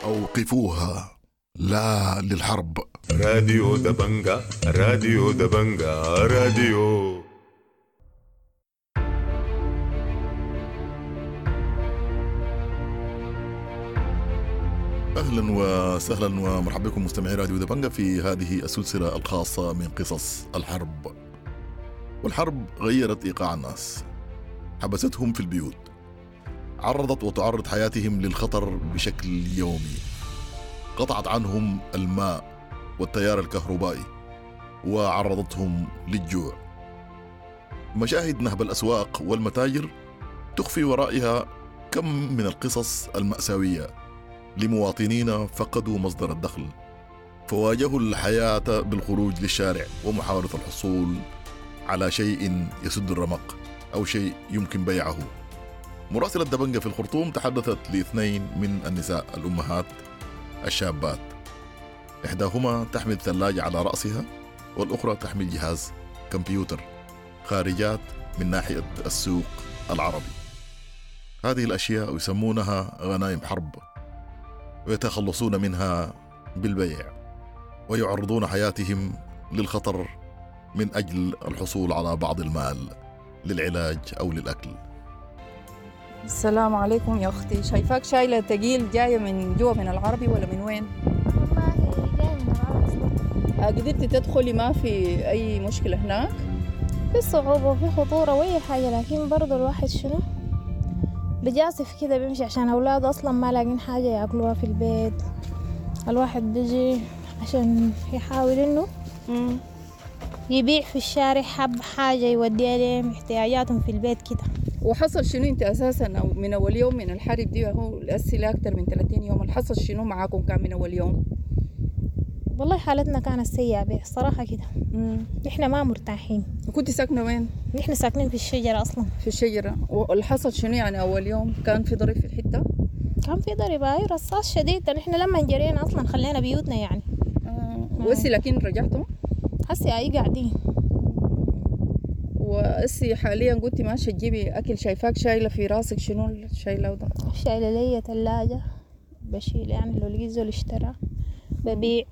أوقفوها لا للحرب. راديو دبنجة، راديو دبنجة، راديو. أهلا وسهلا ومرحبا بكم مستمعي راديو دبنجة في هذه السلسلة الخاصة من قصص الحرب. والحرب غيرت إيقاع الناس، حبستهم في البيوت، عرضت وتعرض حياتهم للخطر بشكل يومي، قطعت عنهم الماء والتيار الكهربائي وعرضتهم للجوع. مشاهد نهب الأسواق والمتاجر تخفي ورائها كم من القصص المأساوية لمواطنين فقدوا مصدر الدخل، فواجهوا الحياة بالخروج للشارع ومحاولة الحصول على شيء يسد الرمق أو شيء يمكن بيعه. مراسلة دبنجة في الخرطوم تحدثت لاثنين من النساء الأمهات الشابات، إحداهما تحمل ثلاجة على رأسها والأخرى تحمل جهاز كمبيوتر، خارجات من ناحية السوق العربي. هذه الأشياء يسمونها غنائم حرب، ويتخلصون منها بالبيع ويعرضون حياتهم للخطر من أجل الحصول على بعض المال للعلاج أو للأكل. السلام عليكم يا أختي، شايفاك شايلة تقيل، جاية من جوا من العربي ولا من وين؟ والله جاية من العربي أصلا. قدرتي تدخلي ما في أي مشكلة هناك؟ في صعوبة وفي خطورة وأي حاجة، لكن برضو الواحد شنو بجاسف كده بيمشي عشان أولاده أصلا ما لاقين حاجة يأكلوها في البيت. الواحد بيجي عشان يحاول إنه يبيع في الشارع حب حاجة يوديها لهم احتياجاتهم في البيت كده. وحصل شنو انت اساسا من اول يوم من الحرب دي؟ هو الاسئلة اكثر من ثلاثين يوم، حصل شنو معاكم كان من اول يوم؟ والله حالتنا كانت سيئه بصراحة كده، نحن ما مرتاحين. وكنت ساكنة وين؟ نحن ساكنين في الشجرة اصلا. في الشجرة. والحصل شنو يعني اول يوم؟ كان في ضرب في الحتة؟ كان في ضرب، اي رصاص شديد. نحن لما جرينا اصلا خلينا بيوتنا يعني. آه. وهسي لكن رجعتوا؟ هسي اي قاعدين. وأسي حاليا قلتي ماشية تجيبي أكل، شايفاك شايلة في راسك شنو شايلة ده؟ شايلة لي ثلاجة بشيل يعني لو لقيت زول اشترى ببيع،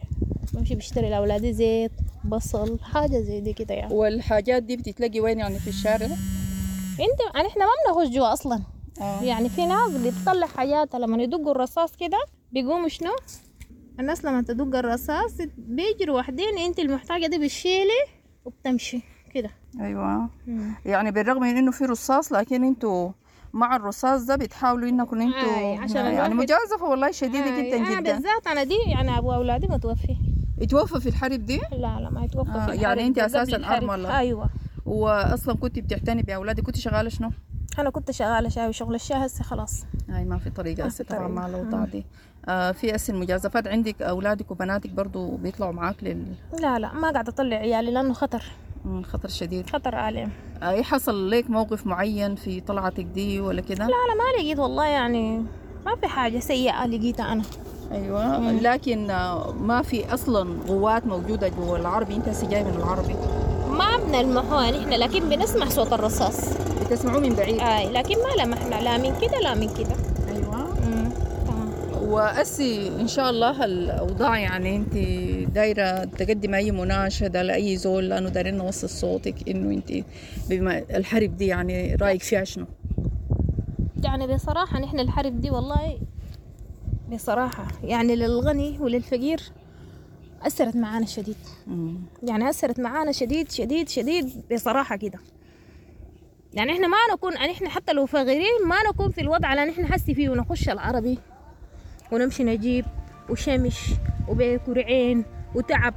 بمشي بشتري لأولادي زيت بصل حاجة زي دي كده يعني. والحاجات دي بتتلاقي وين يعني في الشارع؟ انت يعني احنا ما بنخش جوا أصلا. آه. يعني في ناس بتطلع حاجاتها لما يدقوا الرصاص كده بيقوموا شنو؟ الناس لما تدق الرصاص بيجروا وحدين، انت المحتاجة دي بتشيلي وبتمشي كده. ايوه. مم. يعني بالرغم من انه في رصاص لكن انتوا مع الرصاص ده بتحاولوا انكم انتوا يعني مجازفة والله شديدة. آي. جدا جدا. بالذات انا دي يعني ابو اولادي متوفي. اتوفى في الحرب دي؟ لا لا ما اتوفى. آه في الحرب. يعني انت اساسا ارملة. ايوه. واصلا كنت بتعتني باولادك، كنت شغالة شنو؟ انا كنت شغالة شاي وشغل الشاي هسه خلاص. هاي ما في طريقه هسه طبعا مع الاوضاع دي. آه في هسه المجازفات عندك، اولادك وبناتك برضو بيطلعوا معاك لل؟ لا لا ما قاعدة اطلع عيالي لانه خطر. خطر شديد، خطر عليهم. اي حصل لك موقف معين في طلعتك دي ولا كده؟ لا لا ما لقيت والله، يعني ما في حاجة سيئه لقيتها انا. ايوه مم. لكن ما في اصلا قوات موجودة جوا العربي. انت هسه جاي من العربي؟ ما بنلمحوها نحن، لكن بنسمع صوت الرصاص. بتسمعوه من بعيد؟ اي، لكن ما لمحنا لا من كده لا من كده. ايوه. مم. تمام. وأسي إن شاء الله الأوضاع، يعني أنت دايرة تقدم أي مناشدة لأي زول، لأنه دايرين نوصل صوتك إنه أنت بما الحرب دي يعني رأيك فيها شنو؟ يعني بصراحة نحن الحرب دي والله بصراحة يعني للغني وللفقير أثرت معانا شديد. مم. يعني أثرت معانا شديد شديد شديد بصراحة كده. يعني إحنا ما نكون، يعني إحنا حتى لو فقيرين ما نكون في الوضع اللي إحنا حاسي فيه، ونخش العربي ونمشي نجيب وشمش وبكرعين وتعب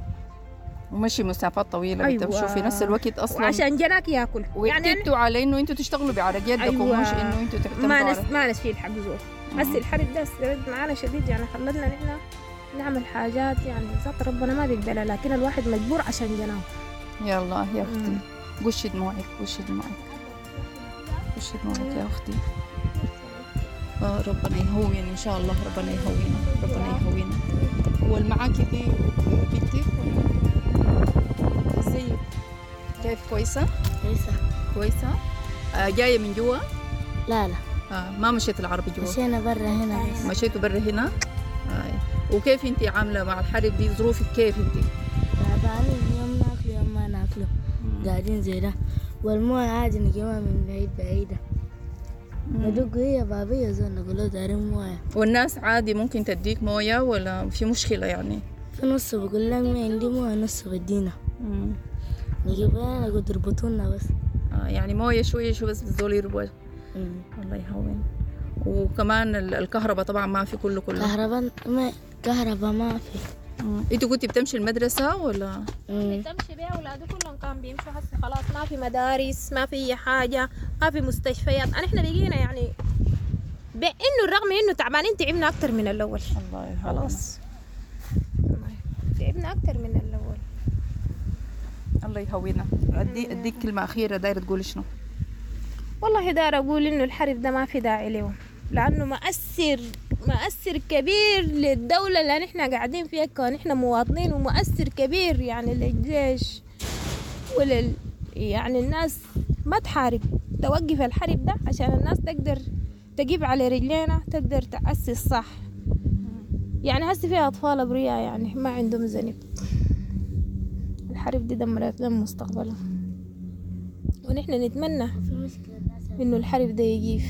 ومشي مسافات طويلة. أيوة. بتمشوا في نفس الوقت أصلا وعشان جناك ياكل. واعتدتوا على إنه أنتوا تشتغلوا بعرق يدكم. أيوة. مش إنه أنتوا تعتمدوا ما نس... على ما نشيل حق زول. هسي الحرب ده استمرت معانا شديد، يعني خلتنا نحن نعمل حاجات يعني ذات ربنا ما بيقبلها، لكن الواحد مجبور عشان جناه. يلا يا أختي، قشي دموعك، قشي دموعك، قشي دموعك يا أختي. آه، ربنا يهون إن شاء الله، ربنا يهوينا، ربنا يهوينا. والمعاكي دي بنتك ولا ازيك؟ كيف؟ كويسة؟ كويسة. كويسة؟ آه، جاية من جوا؟ لا لا. آه، ما مشيت العربي جوا؟ مشينا برا هنا بس. مشيتوا برا هنا؟ آه. وكيف انت عاملة مع الحرب دي؟ ظروفك كيف انت؟ تعبانين، يوم ناكله يوم ما ناكله، قاعدين زي ده، والموية عادي نجيبها من بعيد بعيدة، ندق هي بابية زول نقول له دارين موية. والناس عادي ممكن تديك موية ولا في مشكلة يعني؟ في نص بقول لك ما عندي موية، نص بدينا نجيبها نقول تربطونا بس. آه، يعني موية شوية شوية بس الزول يربط. الله يهون. وكمان ال- الكهرباء طبعا ما في كله كله. كهرباء ما كهرباء ما في. انتوا كنتي بتمشي المدرسة ولا؟ بتمشي بيها أولاده كلهم كان بيمشوا، هسه خلاص ما في مدارس، ما في أي حاجة، ما في مستشفيات. أنا إحنا بقينا يعني بإنه الرغم إنه تعبانين تعبنا أكتر من الأول. الله يهون. خلاص تعبنا أكتر من الأول. الله يهوينا. أدي أديك كلمة أخيرة دايرة تقولي شنو؟ والله دار أقول إنه الحرب ده ما في داعي له، لأنه مؤثر مؤثر كبير للدولة اللي نحن قاعدين فيها كون إحنا مواطنين، ومؤثر كبير يعني للجيش ولل يعني الناس ما تحارب، توقف الحرب ده عشان الناس تقدر تجيب على رجلينا، تقدر تأسس صح. يعني هسه فيها أطفال أبرياء يعني ما عندهم ذنب، الحرب دي دمرت لهم مستقبلهم، ونحن نتمنى إنه الحرب ده يجيف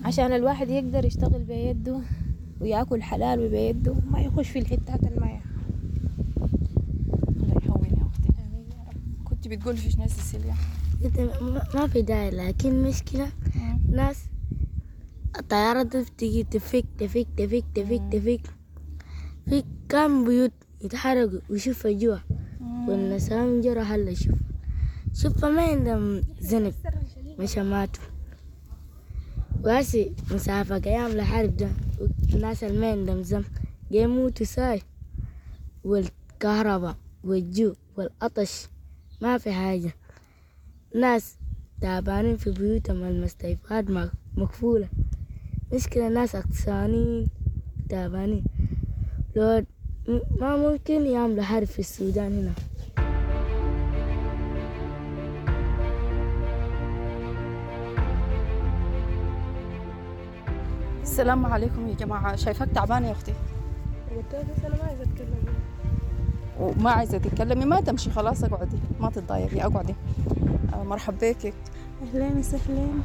عشان الواحد يقدر يشتغل بيده وياكل حلال بيده، ما يخش في الحتات الماية. الله يهون يا أختي. كنت بتقولي في شنو يا سيسيليا؟ قلت ما- ما في داعي، لكن مشكلة ناس الطيارة دي بتيجي تفك تفك تفك تفك تفك في كم بيوت يتحرقوا ويشوفوا جوا، والنسوان جرى هلا شوف شوف ما عندهم ذنب مش ماتوا. وهسي مسافة قيام الحرب ده الناس اللي ما عندهم ذنب يموتوا ساي، والكهرباء والجوع والعطش ما في حاجة، ناس تعبانين في بيوتهم، المستشفيات مقفولة، مشكلة ناس عطشانين تعبانين. لو ما ممكن يعملوا حرب في السودان هنا. السلام عليكم يا جماعة. شايفاك تعبانة يا أختي. قلت لها بس أنا ما عايزة أتكلم. وما عايزة تتكلمي ما تمشي، خلاص اقعدي، ما تتضايقي، اقعدي. آه، مرحب بك. أهلين وسهلين.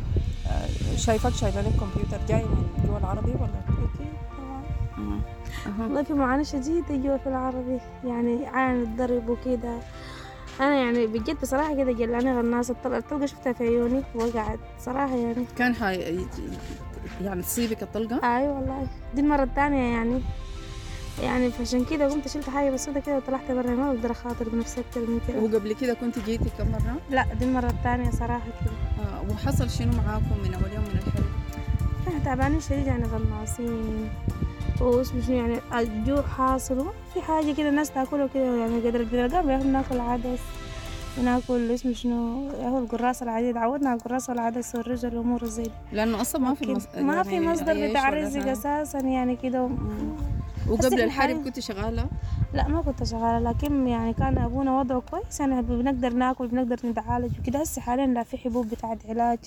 آه، شايفاك شايلة لك كمبيوتر، جاي من جوا العربي ولا؟ أكيد طبعا. والله في معاناة شديدة جوا في العربي، يعني عن الضرب وكده. أنا يعني بجد بصراحة كده جلاني غناصة، الطلقة الطلقة شفتها في عيوني وقعت صراحة يعني. كان حي... يعني تصيبك الطلقة؟ أيوة والله، دي المرة الثانية يعني يعني فعشان كده قمت شلت حاجة بسيطة كده وطلعت برا، ما بقدر أخاطر بنفسي أكتر من كده. وقبل كده كنت جيتي كم مرة؟ لا دي المرة الثانية صراحة كده. آه، وحصل شنو معاكم من أول يوم من الحرب؟ احنا تعبانين شديد يعني، غناصين واسمه شنو يعني، الجوع حاصل وما في حاجة كده الناس تاكلها كده يعني، قدر بنلقاه بناكل عدس، بناكل اسمه شنو هو القراصة العادية، تعودنا على القراصة والعدس والرز والأمور زي دي. لأنه أصلا ما في مص... ما في يعني مصدر عيش بتاع ولا رزق حاجة. أساسا يعني كده. وقبل الحرب كنت شغالة؟ لا ما كنت شغالة، لكن يعني كان أبونا وضعه كويس، يعني بنقدر ناكل بنقدر نتعالج وكده. هسه حاليا لا في حبوب بتاعت علاج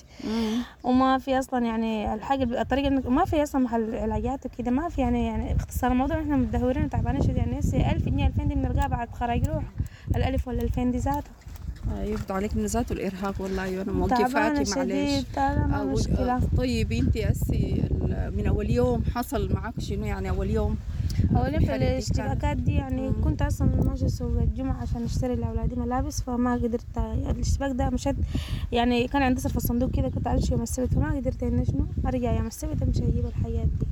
وما في أصلا يعني الحاجة الطريقة ما في أصلا محل علاجات وكده، ما في يعني يعني باختصار الموضوع إحنا متدهورين وتعبانين شديد. يعني هسه ألف جنيه ألفين دي بنلقاها بعد خراج روح الألف ولا ألفين دي ذاتها. يفضل عليك من ذاته الإرهاق والله. أيوة أنا تعبانة موقفاكي معلش. شديد، تعبانة أو- مشكلة. طيب أنت أسي من أول يوم حصل معك شنو يعني أول يوم؟ أول يوم في الحرب دي كان- الاشتباكات دي يعني كنت أصلا ماشية سوق الجمعة عشان أشتري لأولادي ملابس، فما قدرت. الاشتباك ده مشيت يعني كان عندي صرف الصندوق كده، كنت عايشة يوم السبت، فما قدرت إني شنو أرجع يوم السبت أمشي أجيب الحاجات دي،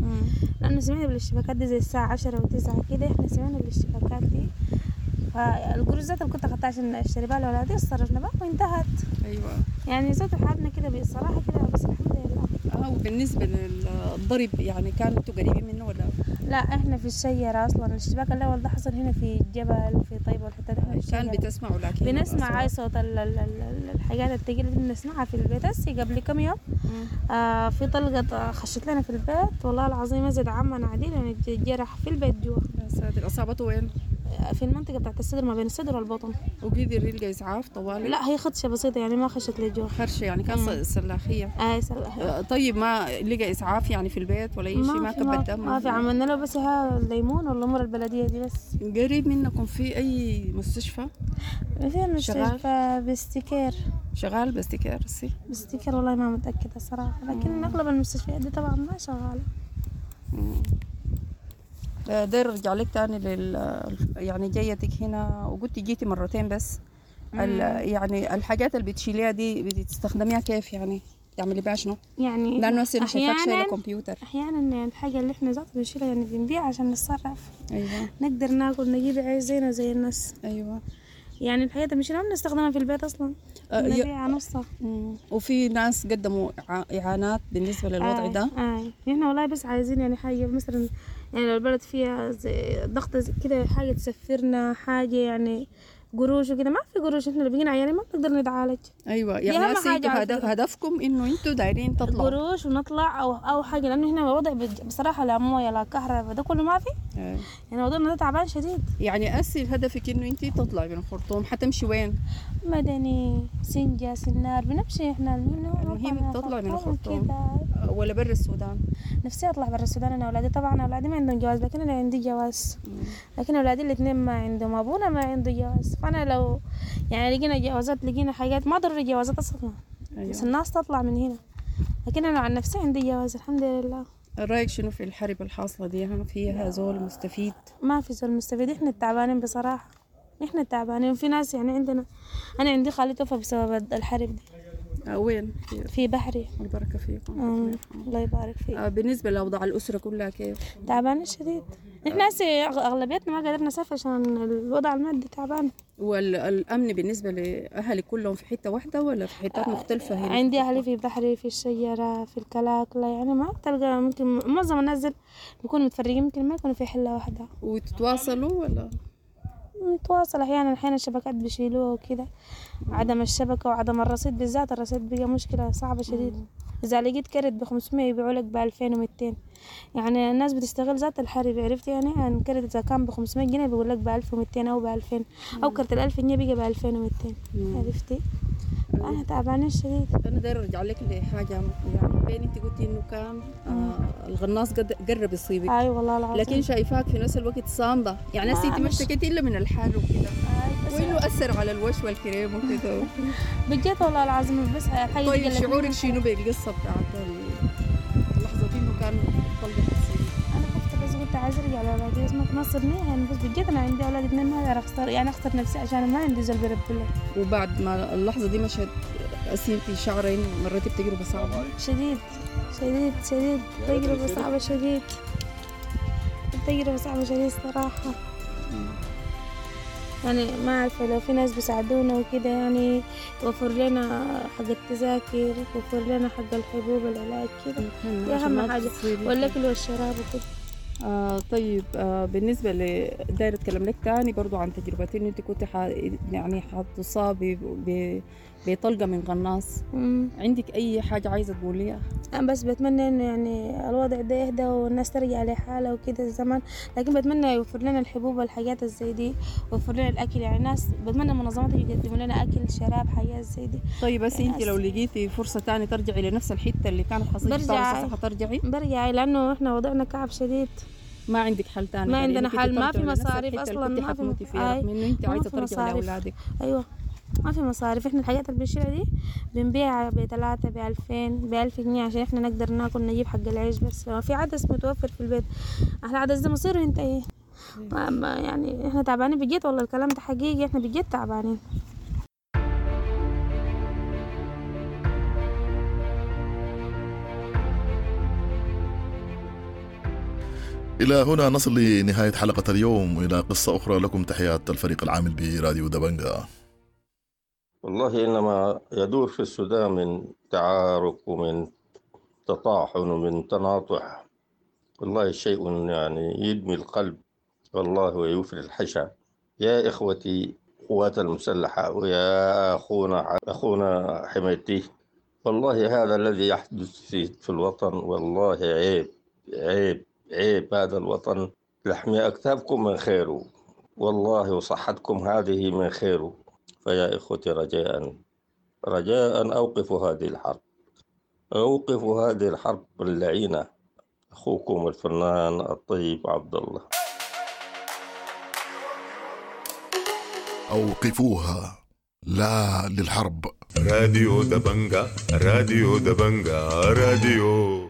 لأنه سمعنا بالاشتباكات دي زي الساعة عشرة وتسعة كده، إحنا سمعنا بالاشتباكات دي. فالقروش ذات اللي كنت أخدتها عشان أشتري بها لأولادي صرفنا بها وانتهت. أيوة يعني ذات حالنا كده بصراحة كده، بس الحمد لله. اه وبالنسبة للضرب يعني كانوا انتوا قريبين منه ولا؟ لا احنا في الشجرة اصلا، الاشتباك الاول ده حصل هنا في الجبل في طيبة والحتة دي، احنا في كان الشجرة. بتسمعوا لكن بنسمع هاي صوت ال ال ال الحاجات التقيلة دي بنسمعها في البيت. هسي قبل كم يوم آه في طلقة خشت لنا في البيت والله العظيم ازيد عمنا عديل يعني جرح في البيت جوا. يا ساتر، اصابته وين؟ في المنطقة بتاعت الصدر، ما بين الصدر والبطن. وقدر يلقى إسعاف طوالي؟ لا هي خدشة بسيطة يعني ما خشت لجوا. خرشة يعني كان سلاخية. اي سلاخية. آه، طيب ما لقى إسعاف يعني في البيت ولا أي شيء؟ ما في كب الدم؟ ما في، عملنا له بس ها الليمون والأمور البلدية دي بس. قريب منكم في أي مستشفى؟ في مستشفى بستيكير. شغال بستيكير سي؟ بستيكير والله ما متأكدة صراحة، لكن أغلب المستشفيات دي طبعا ما شغالة. آه، داير ارجع لك تاني لل يعني جيتك هنا وقلتي جيتي مرتين بس. ال... يعني الحاجات اللي بتشيليها دي بتستخدميها كيف يعني؟ تعملي بيها شنو؟ يعني لانه هسه انا شايفاك شايله أحياناً- كمبيوتر. احيانا يعني الحاجه اللي احنا ذات بنشيلها يعني بنبيع عشان نتصرف. ايوه نقدر ناكل نجيب عيش زينا زي الناس. ايوه يعني الحاجات اللي بنشيلها ما بنستخدمها في البيت اصلا، آه، ي- بنبيعها نصها. وفي ناس قدموا إع- اعانات بالنسبه للوضع آه، ده. آه. احنا والله بس عايزين يعني حاجه مثلا، يعني لو البلد فيها زي ضغط زي كده حاجه تسفرنا حاجه يعني قروش وكده، ما في قروش، احنا اللي بقينا عيانين ما بنقدر نتعالج. ايوه دي يعني أهم هسه حاجة انتوا على هدف فكرة. هدفكم انه انتوا دايرين تطلعوا قروش ونطلع او او حاجه، لانه هنا وضع بج- بصراحه لا مويه لا كهرباء، ده كله ما في. آه. يعني وضعنا ده تعبان شديد. يعني هسه هدفك انه انت تطلعي من الخرطوم، حتمشي وين؟ مدني، سنجة، سنار، بنمشي احنا. المهم المهم تطلعي من الخرطوم كده. آه، ولا برا السودان؟ نفسي اطلع برا السودان انا اولادي، طبعا اولادي ما عندهم جواز، لكن انا عندي جواز، لكن اولادي الاثنين ما عندهم، ابونا ما عنده جواز. فانا لو يعني لقينا جوازات لقينا حاجات، ما ضروري جوازات اصلا. أيوة. بس الناس تطلع من هنا، لكن انا عن نفسي عندي جواز الحمد لله. رايك شنو في الحرب الحاصله دي؟ ها فيها زول مستفيد؟ ما في زول مستفيد، احنا التعبانين بصراحة، احنا التعبانين. في ناس يعني عندنا، انا عندي خالي توفى بسبب الحرب دي. آه، وين؟ في بحري. البركه فيكم. أمم، الله يبارك فيك. آه، بالنسبه لاوضاع الاسره كلها كيف؟ تعبانين شديد احنا هسه أغ- اغلبيتنا ما قدرنا نسافر عشان الوضع المادي تعبان. والامن بالنسبه لاهلك كلهم في حته واحده ولا في حتات مختلفه هنا؟ عندي اهلي في بحري، في الشجرة، في الكلاكلة، يعني ما بتلقى، ممكن معظم الناس دول بيكونوا متفرقين، يمكن ما يكونوا في حلة واحدة. وتتواصلوا ولا؟ نتواصل احيانا، احيانا الشبكات بيشيلوها وكده، عدم الشبكة وعدم الرصيد بالذات، الرصيد بقى مشكلة صعبة شديد. إذا لقيت كرت بخمسمية يبيعوا لك بألفين ومتين، يعني الناس بتستغل ذات الحرب، عرفت يعني؟ يعني كرت إذا كان بخمسمية جنيه بيقول لك بألف ومتين أو بألفين، أو كرت الألف جنيه بقى بألفين ومتين، عرفتي؟ أنا تعبانة شديد. انا داير ارجع لك لحاجه، يعني بين انت قلتي انه كان آه الغناص قد قرب يصيبك. اي والله العظيم. لكن شايفاك في نفس الوقت صامده، يعني هسه انت ما مش- اشتكيتي الا من الحر وكده، بس- وانه اثر على الوش والكريم وكده. بجد والله العظيم بس الحاجة دي طيب قلتني. شعورك شنو بالقصه بتاعت اللحظه دي انه كان طلقه تصيبك؟ انا خفت بس قلت عايزه ارجع لاولادي، بس ما تنصرني يعني، بس بجد انا عندي اولاد اثنين ما اقدر اخسر، يعني اخسر نفسي عشان ما عندي زول بيربي لي. وبعد ما اللحظه دي مشت هسه انت شعره انه مريتي بتجربه صعبه؟ شديد شديد شديد، تجربة صعبة شديد، تجربة صعبة شديد صراحة. يعني ما عارفة لو في ناس بيساعدونا وكده، يعني يوفر لنا حق التذاكر، يوفر لنا حق الحبوب، العلاج كده، دي عشان أهم ما حاجة، تصيبك. والأكل والشراب وكده. آه طيب، آه بالنسبة ل داير أتكلم لك تاني برضو عن تجربتي، إنه أنت كنت ح... يعني حتصابي ب... بطلقة من قناص. مم. عندك أي حاجة عايزة تقوليها؟ أنا بس بتمنى إنه يعني الوضع ده يهدى والناس ترجع لحالها وكده الزمن، لكن بتمنى يوفر لنا الحبوب والحاجات زي دي، ويوفر لنا الأكل. يعني ناس بتمنى المنظمات يقدموا لنا أكل، شراب، حاجات زي دي. طيب بس يعني أنت لو لقيتي فرصة تاني ترجعي لنفس الحتة اللي كانت حصلت برجع حترجعي؟ برجع، لأنه إحنا وضعنا كعب شديد. ما عندك حل تاني ما غير عندنا إنك أنت حل، ما في ترجعي لنفس مصاريف الحتة اللي أصلا، كنت ما في حتموتي فيها، آي، رغم إنه أنت ما عايزة في ترجعي مصاريف. لأولادك. أيوة ما في مصاريف. إحنا الحاجات اللي بنشيلها دي بنبيعها بتلاتة، بألفين، بألف جنيه عشان إحنا نقدر ناكل، نجيب حق العيش بس. ما في عدس متوفر في البيت، إحنا عدس ده مصيره ينتهي. ما ما يعني إحنا تعبانين بجد والله، الكلام ده حقيقي، إحنا بجد تعبانين. إلى هنا نصل لنهاية حلقة اليوم، إلى قصة أخرى لكم تحيات الفريق العامل براديو دبنجا. والله إنما يدور في السودان من تعارك ومن تطاحن ومن تناطح، والله شيء يعني يدمي القلب والله ويفري الحشا. يا إخوتي قوات المسلحة ويا أخونا أخونا حميدتي، والله هذا الذي يحدث في, في الوطن والله عيب عيب عيب. هذا الوطن لحم أكتافكم من خيره والله، وصحتكم هذه من خيره. فيا إخوتي رجاء رجاء أوقفوا هذه الحرب، أوقفوا هذه الحرب اللعينة. أخوكم الفنان الطيب عبد الله. أوقفوها، لا للحرب. راديو دبنجا، راديو دبنجا، راديو.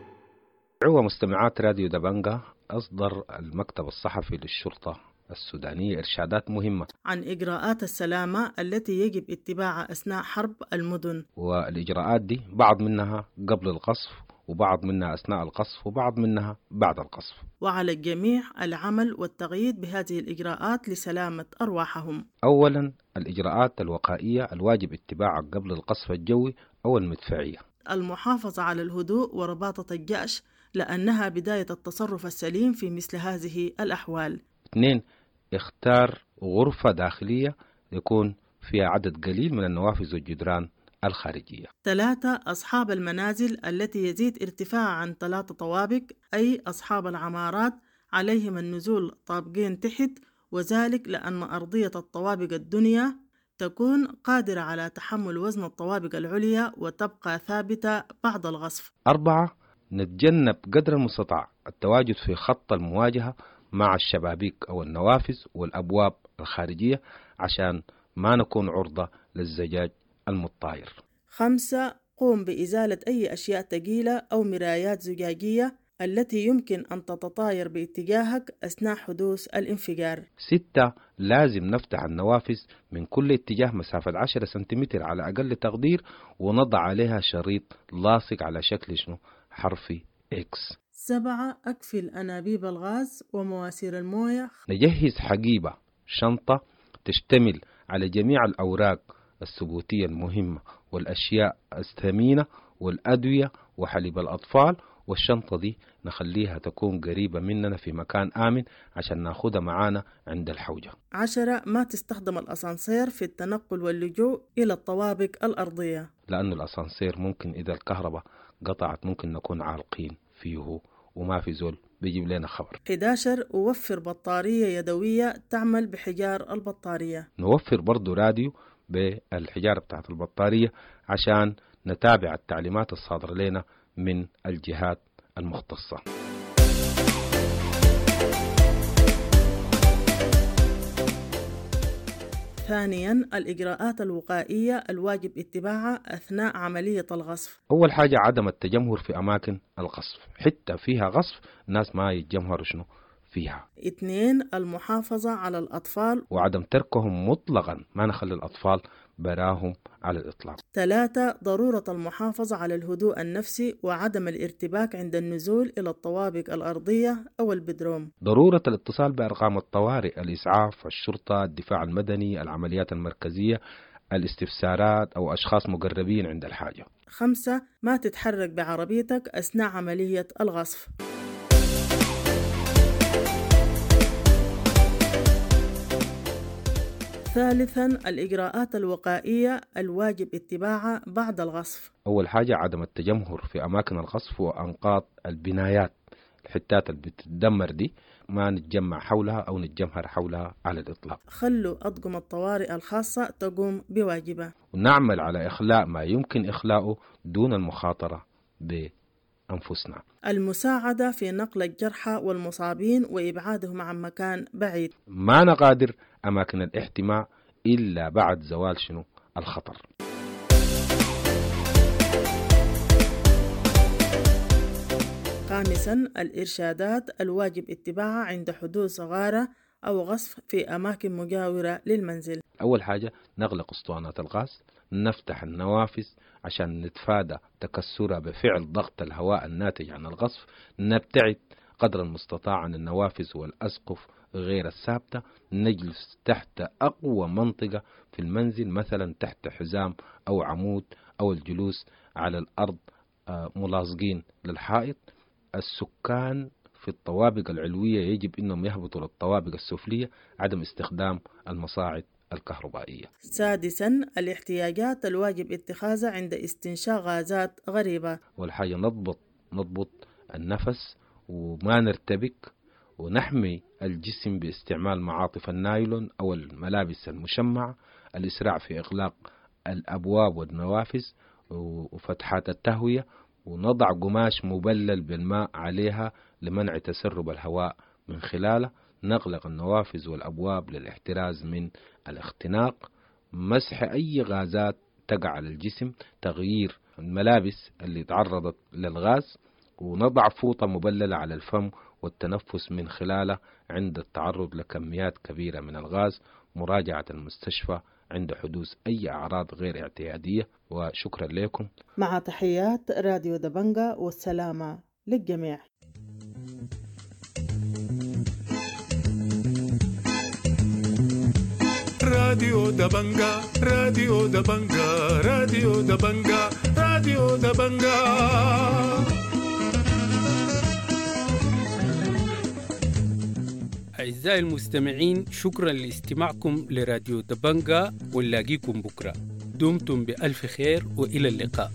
عوة مستمعات راديو دبنجا، أصدر المكتب الصحفي للشرطة السودانية إرشادات مهمة عن إجراءات السلامة التي يجب اتباعها أثناء حرب المدن. والإجراءات دي بعض منها قبل القصف، وبعض منها أثناء القصف، وبعض منها بعد القصف. وعلى الجميع العمل والتغييد بهذه الإجراءات لسلامة أرواحهم. أولا، الإجراءات الوقائية الواجب اتباعها قبل القصف الجوي أو المدفعية. المحافظة على الهدوء ورباطة الجأش، لأنها بداية التصرف السليم في مثل هذه الأحوال. اثنين، اختار غرفة داخلية يكون فيها عدد قليل من النوافذ والجدران الخارجية. ثلاثة، أصحاب المنازل التي يزيد ارتفاعها عن ثلاثة طوابق، أي أصحاب العمارات، عليهم النزول طابقين تحت، وذلك لأن أرضية الطوابق الدنيا تكون قادرة على تحمل وزن الطوابق العليا وتبقى ثابتة بعد الغصف. أربعة، نتجنب قدر المستطاع التواجد في خط المواجهة مع الشبابيك أو النوافذ والأبواب الخارجية عشان ما نكون عرضة للزجاج المتطاير. خمسة، قوم بإزالة أي أشياء ثقيلة أو مرايات زجاجية التي يمكن أن تتطاير باتجاهك أثناء حدوث الانفجار. ستة، لازم نفتح النوافذ من كل اتجاه مسافة عشرة سنتيمتر على أقل تقدير، ونضع عليها شريط لاصق على شكل شنو؟ حرف إكس. سبعة، أقفل أنابيب الغاز ومواسير الموية. نجهز حقيبة شنطة تشتمل على جميع الأوراق الثبوتية المهمة والأشياء الثمينة والأدوية وحليب الأطفال، والشنطة دي نخليها تكون قريبة مننا في مكان آمن عشان ناخدها معانا عند الحوجة. عشرة، ما تستخدم الأسانسير في التنقل واللجوء إلى الطوابق الأرضية، لأن الأسانسير ممكن إذا الكهرباء قطعت ممكن نكون عالقين فيه وما في زول بيجيب لنا خبر. إحدى عشر، وفر بطارية يدوية تعمل بحجار البطارية. نوفر برضو راديو بالحجارة بتاعت البطارية عشان نتابع التعليمات الصادرة لنا من الجهات المختصة. ثانيا، الإجراءات الوقائية الواجب اتباعها أثناء عملية الغصف. أول حاجة عدم التجمهر في أماكن الغصف، حتى فيها غصف الناس ما يتجمهروا شنو فيها. اثنين، المحافظة على الأطفال وعدم تركهم مطلقا، ما نخلي الأطفال براهم على الإطلاق. ثلاثة، ضرورة المحافظة على الهدوء النفسي وعدم الارتباك عند النزول إلى الطوابق الأرضية أو البدروم. ضرورة الاتصال بأرقام الطوارئ، الإسعاف، الشرطة، الدفاع المدني، العمليات المركزية، الاستفسارات أو أشخاص مقربين عند الحاجة. خمسة، ما تتحرك بعربيتك أثناء عملية الغصف. ثالثا، الإجراءات الوقائية الواجب اتباعها بعد الغصف. أول حاجة عدم التجمهر في أماكن الغصف وأنقاض البنايات، الحتات اللي بتتدمر دي ما نتجمع حولها أو نتجمهر حولها على الإطلاق. خلوا أطقم الطوارئ الخاصة تقوم بواجبها، ونعمل على إخلاء ما يمكن إخلاؤه دون المخاطرة بأنفسنا. المساعدة في نقل الجرحى والمصابين وإبعادهم عن مكان بعيد. ما نغادر أماكن الاحتماء إلا بعد زوال شنو الخطر. خامسا، الإرشادات الواجب اتباعها عند حدوث غارة أو غصف في أماكن مجاورة للمنزل. أول حاجة نغلق أسطوانات الغاز، نفتح النوافذ عشان نتفادى تكسرها بفعل ضغط الهواء الناتج عن الغصف، نبتعد قدر المستطاع عن النوافذ والأسقف غير الثابتة، نجلس تحت أقوى منطقة في المنزل، مثلا تحت حزام أو عمود، أو الجلوس على الأرض ملاصقين للحائط. السكان في الطوابق العلوية يجب أنهم يهبطوا للطوابق السفلية، عدم استخدام المصاعد الكهربائية. سادسا، الاحتياجات الواجب اتخاذها عند استنشاق غازات غريبة. والحاجة نضبط نضبط النفس وما نرتبك، ونحمي الجسم باستعمال معاطف النايلون أو الملابس المشمعة، الإسراع في إغلاق الأبواب والنوافذ وفتحات التهوية، ونضع قماش مبلل بالماء عليها لمنع تسرب الهواء من خلاله، نغلق النوافذ والأبواب للاحتراز من الاختناق، مسح أي غازات تقع على الجسم، تغيير الملابس اللي تعرضت للغاز، ونضع فوطة مبللة على الفم والتنفس من خلاله عند التعرض لكميات كبيرة من الغاز، مراجعة المستشفى عند حدوث أي أعراض غير اعتيادية. وشكرا لكم. مع تحيات راديو دبنجا، والسلامة للجميع. راديو دبنجا، راديو دبنجا، راديو دبنجا، راديو دبنجا. أعزائي المستمعين، شكرا لاستماعكم لراديو دبنجا، ونلاقيكم بكرة. دمتم بألف خير وإلى اللقاء.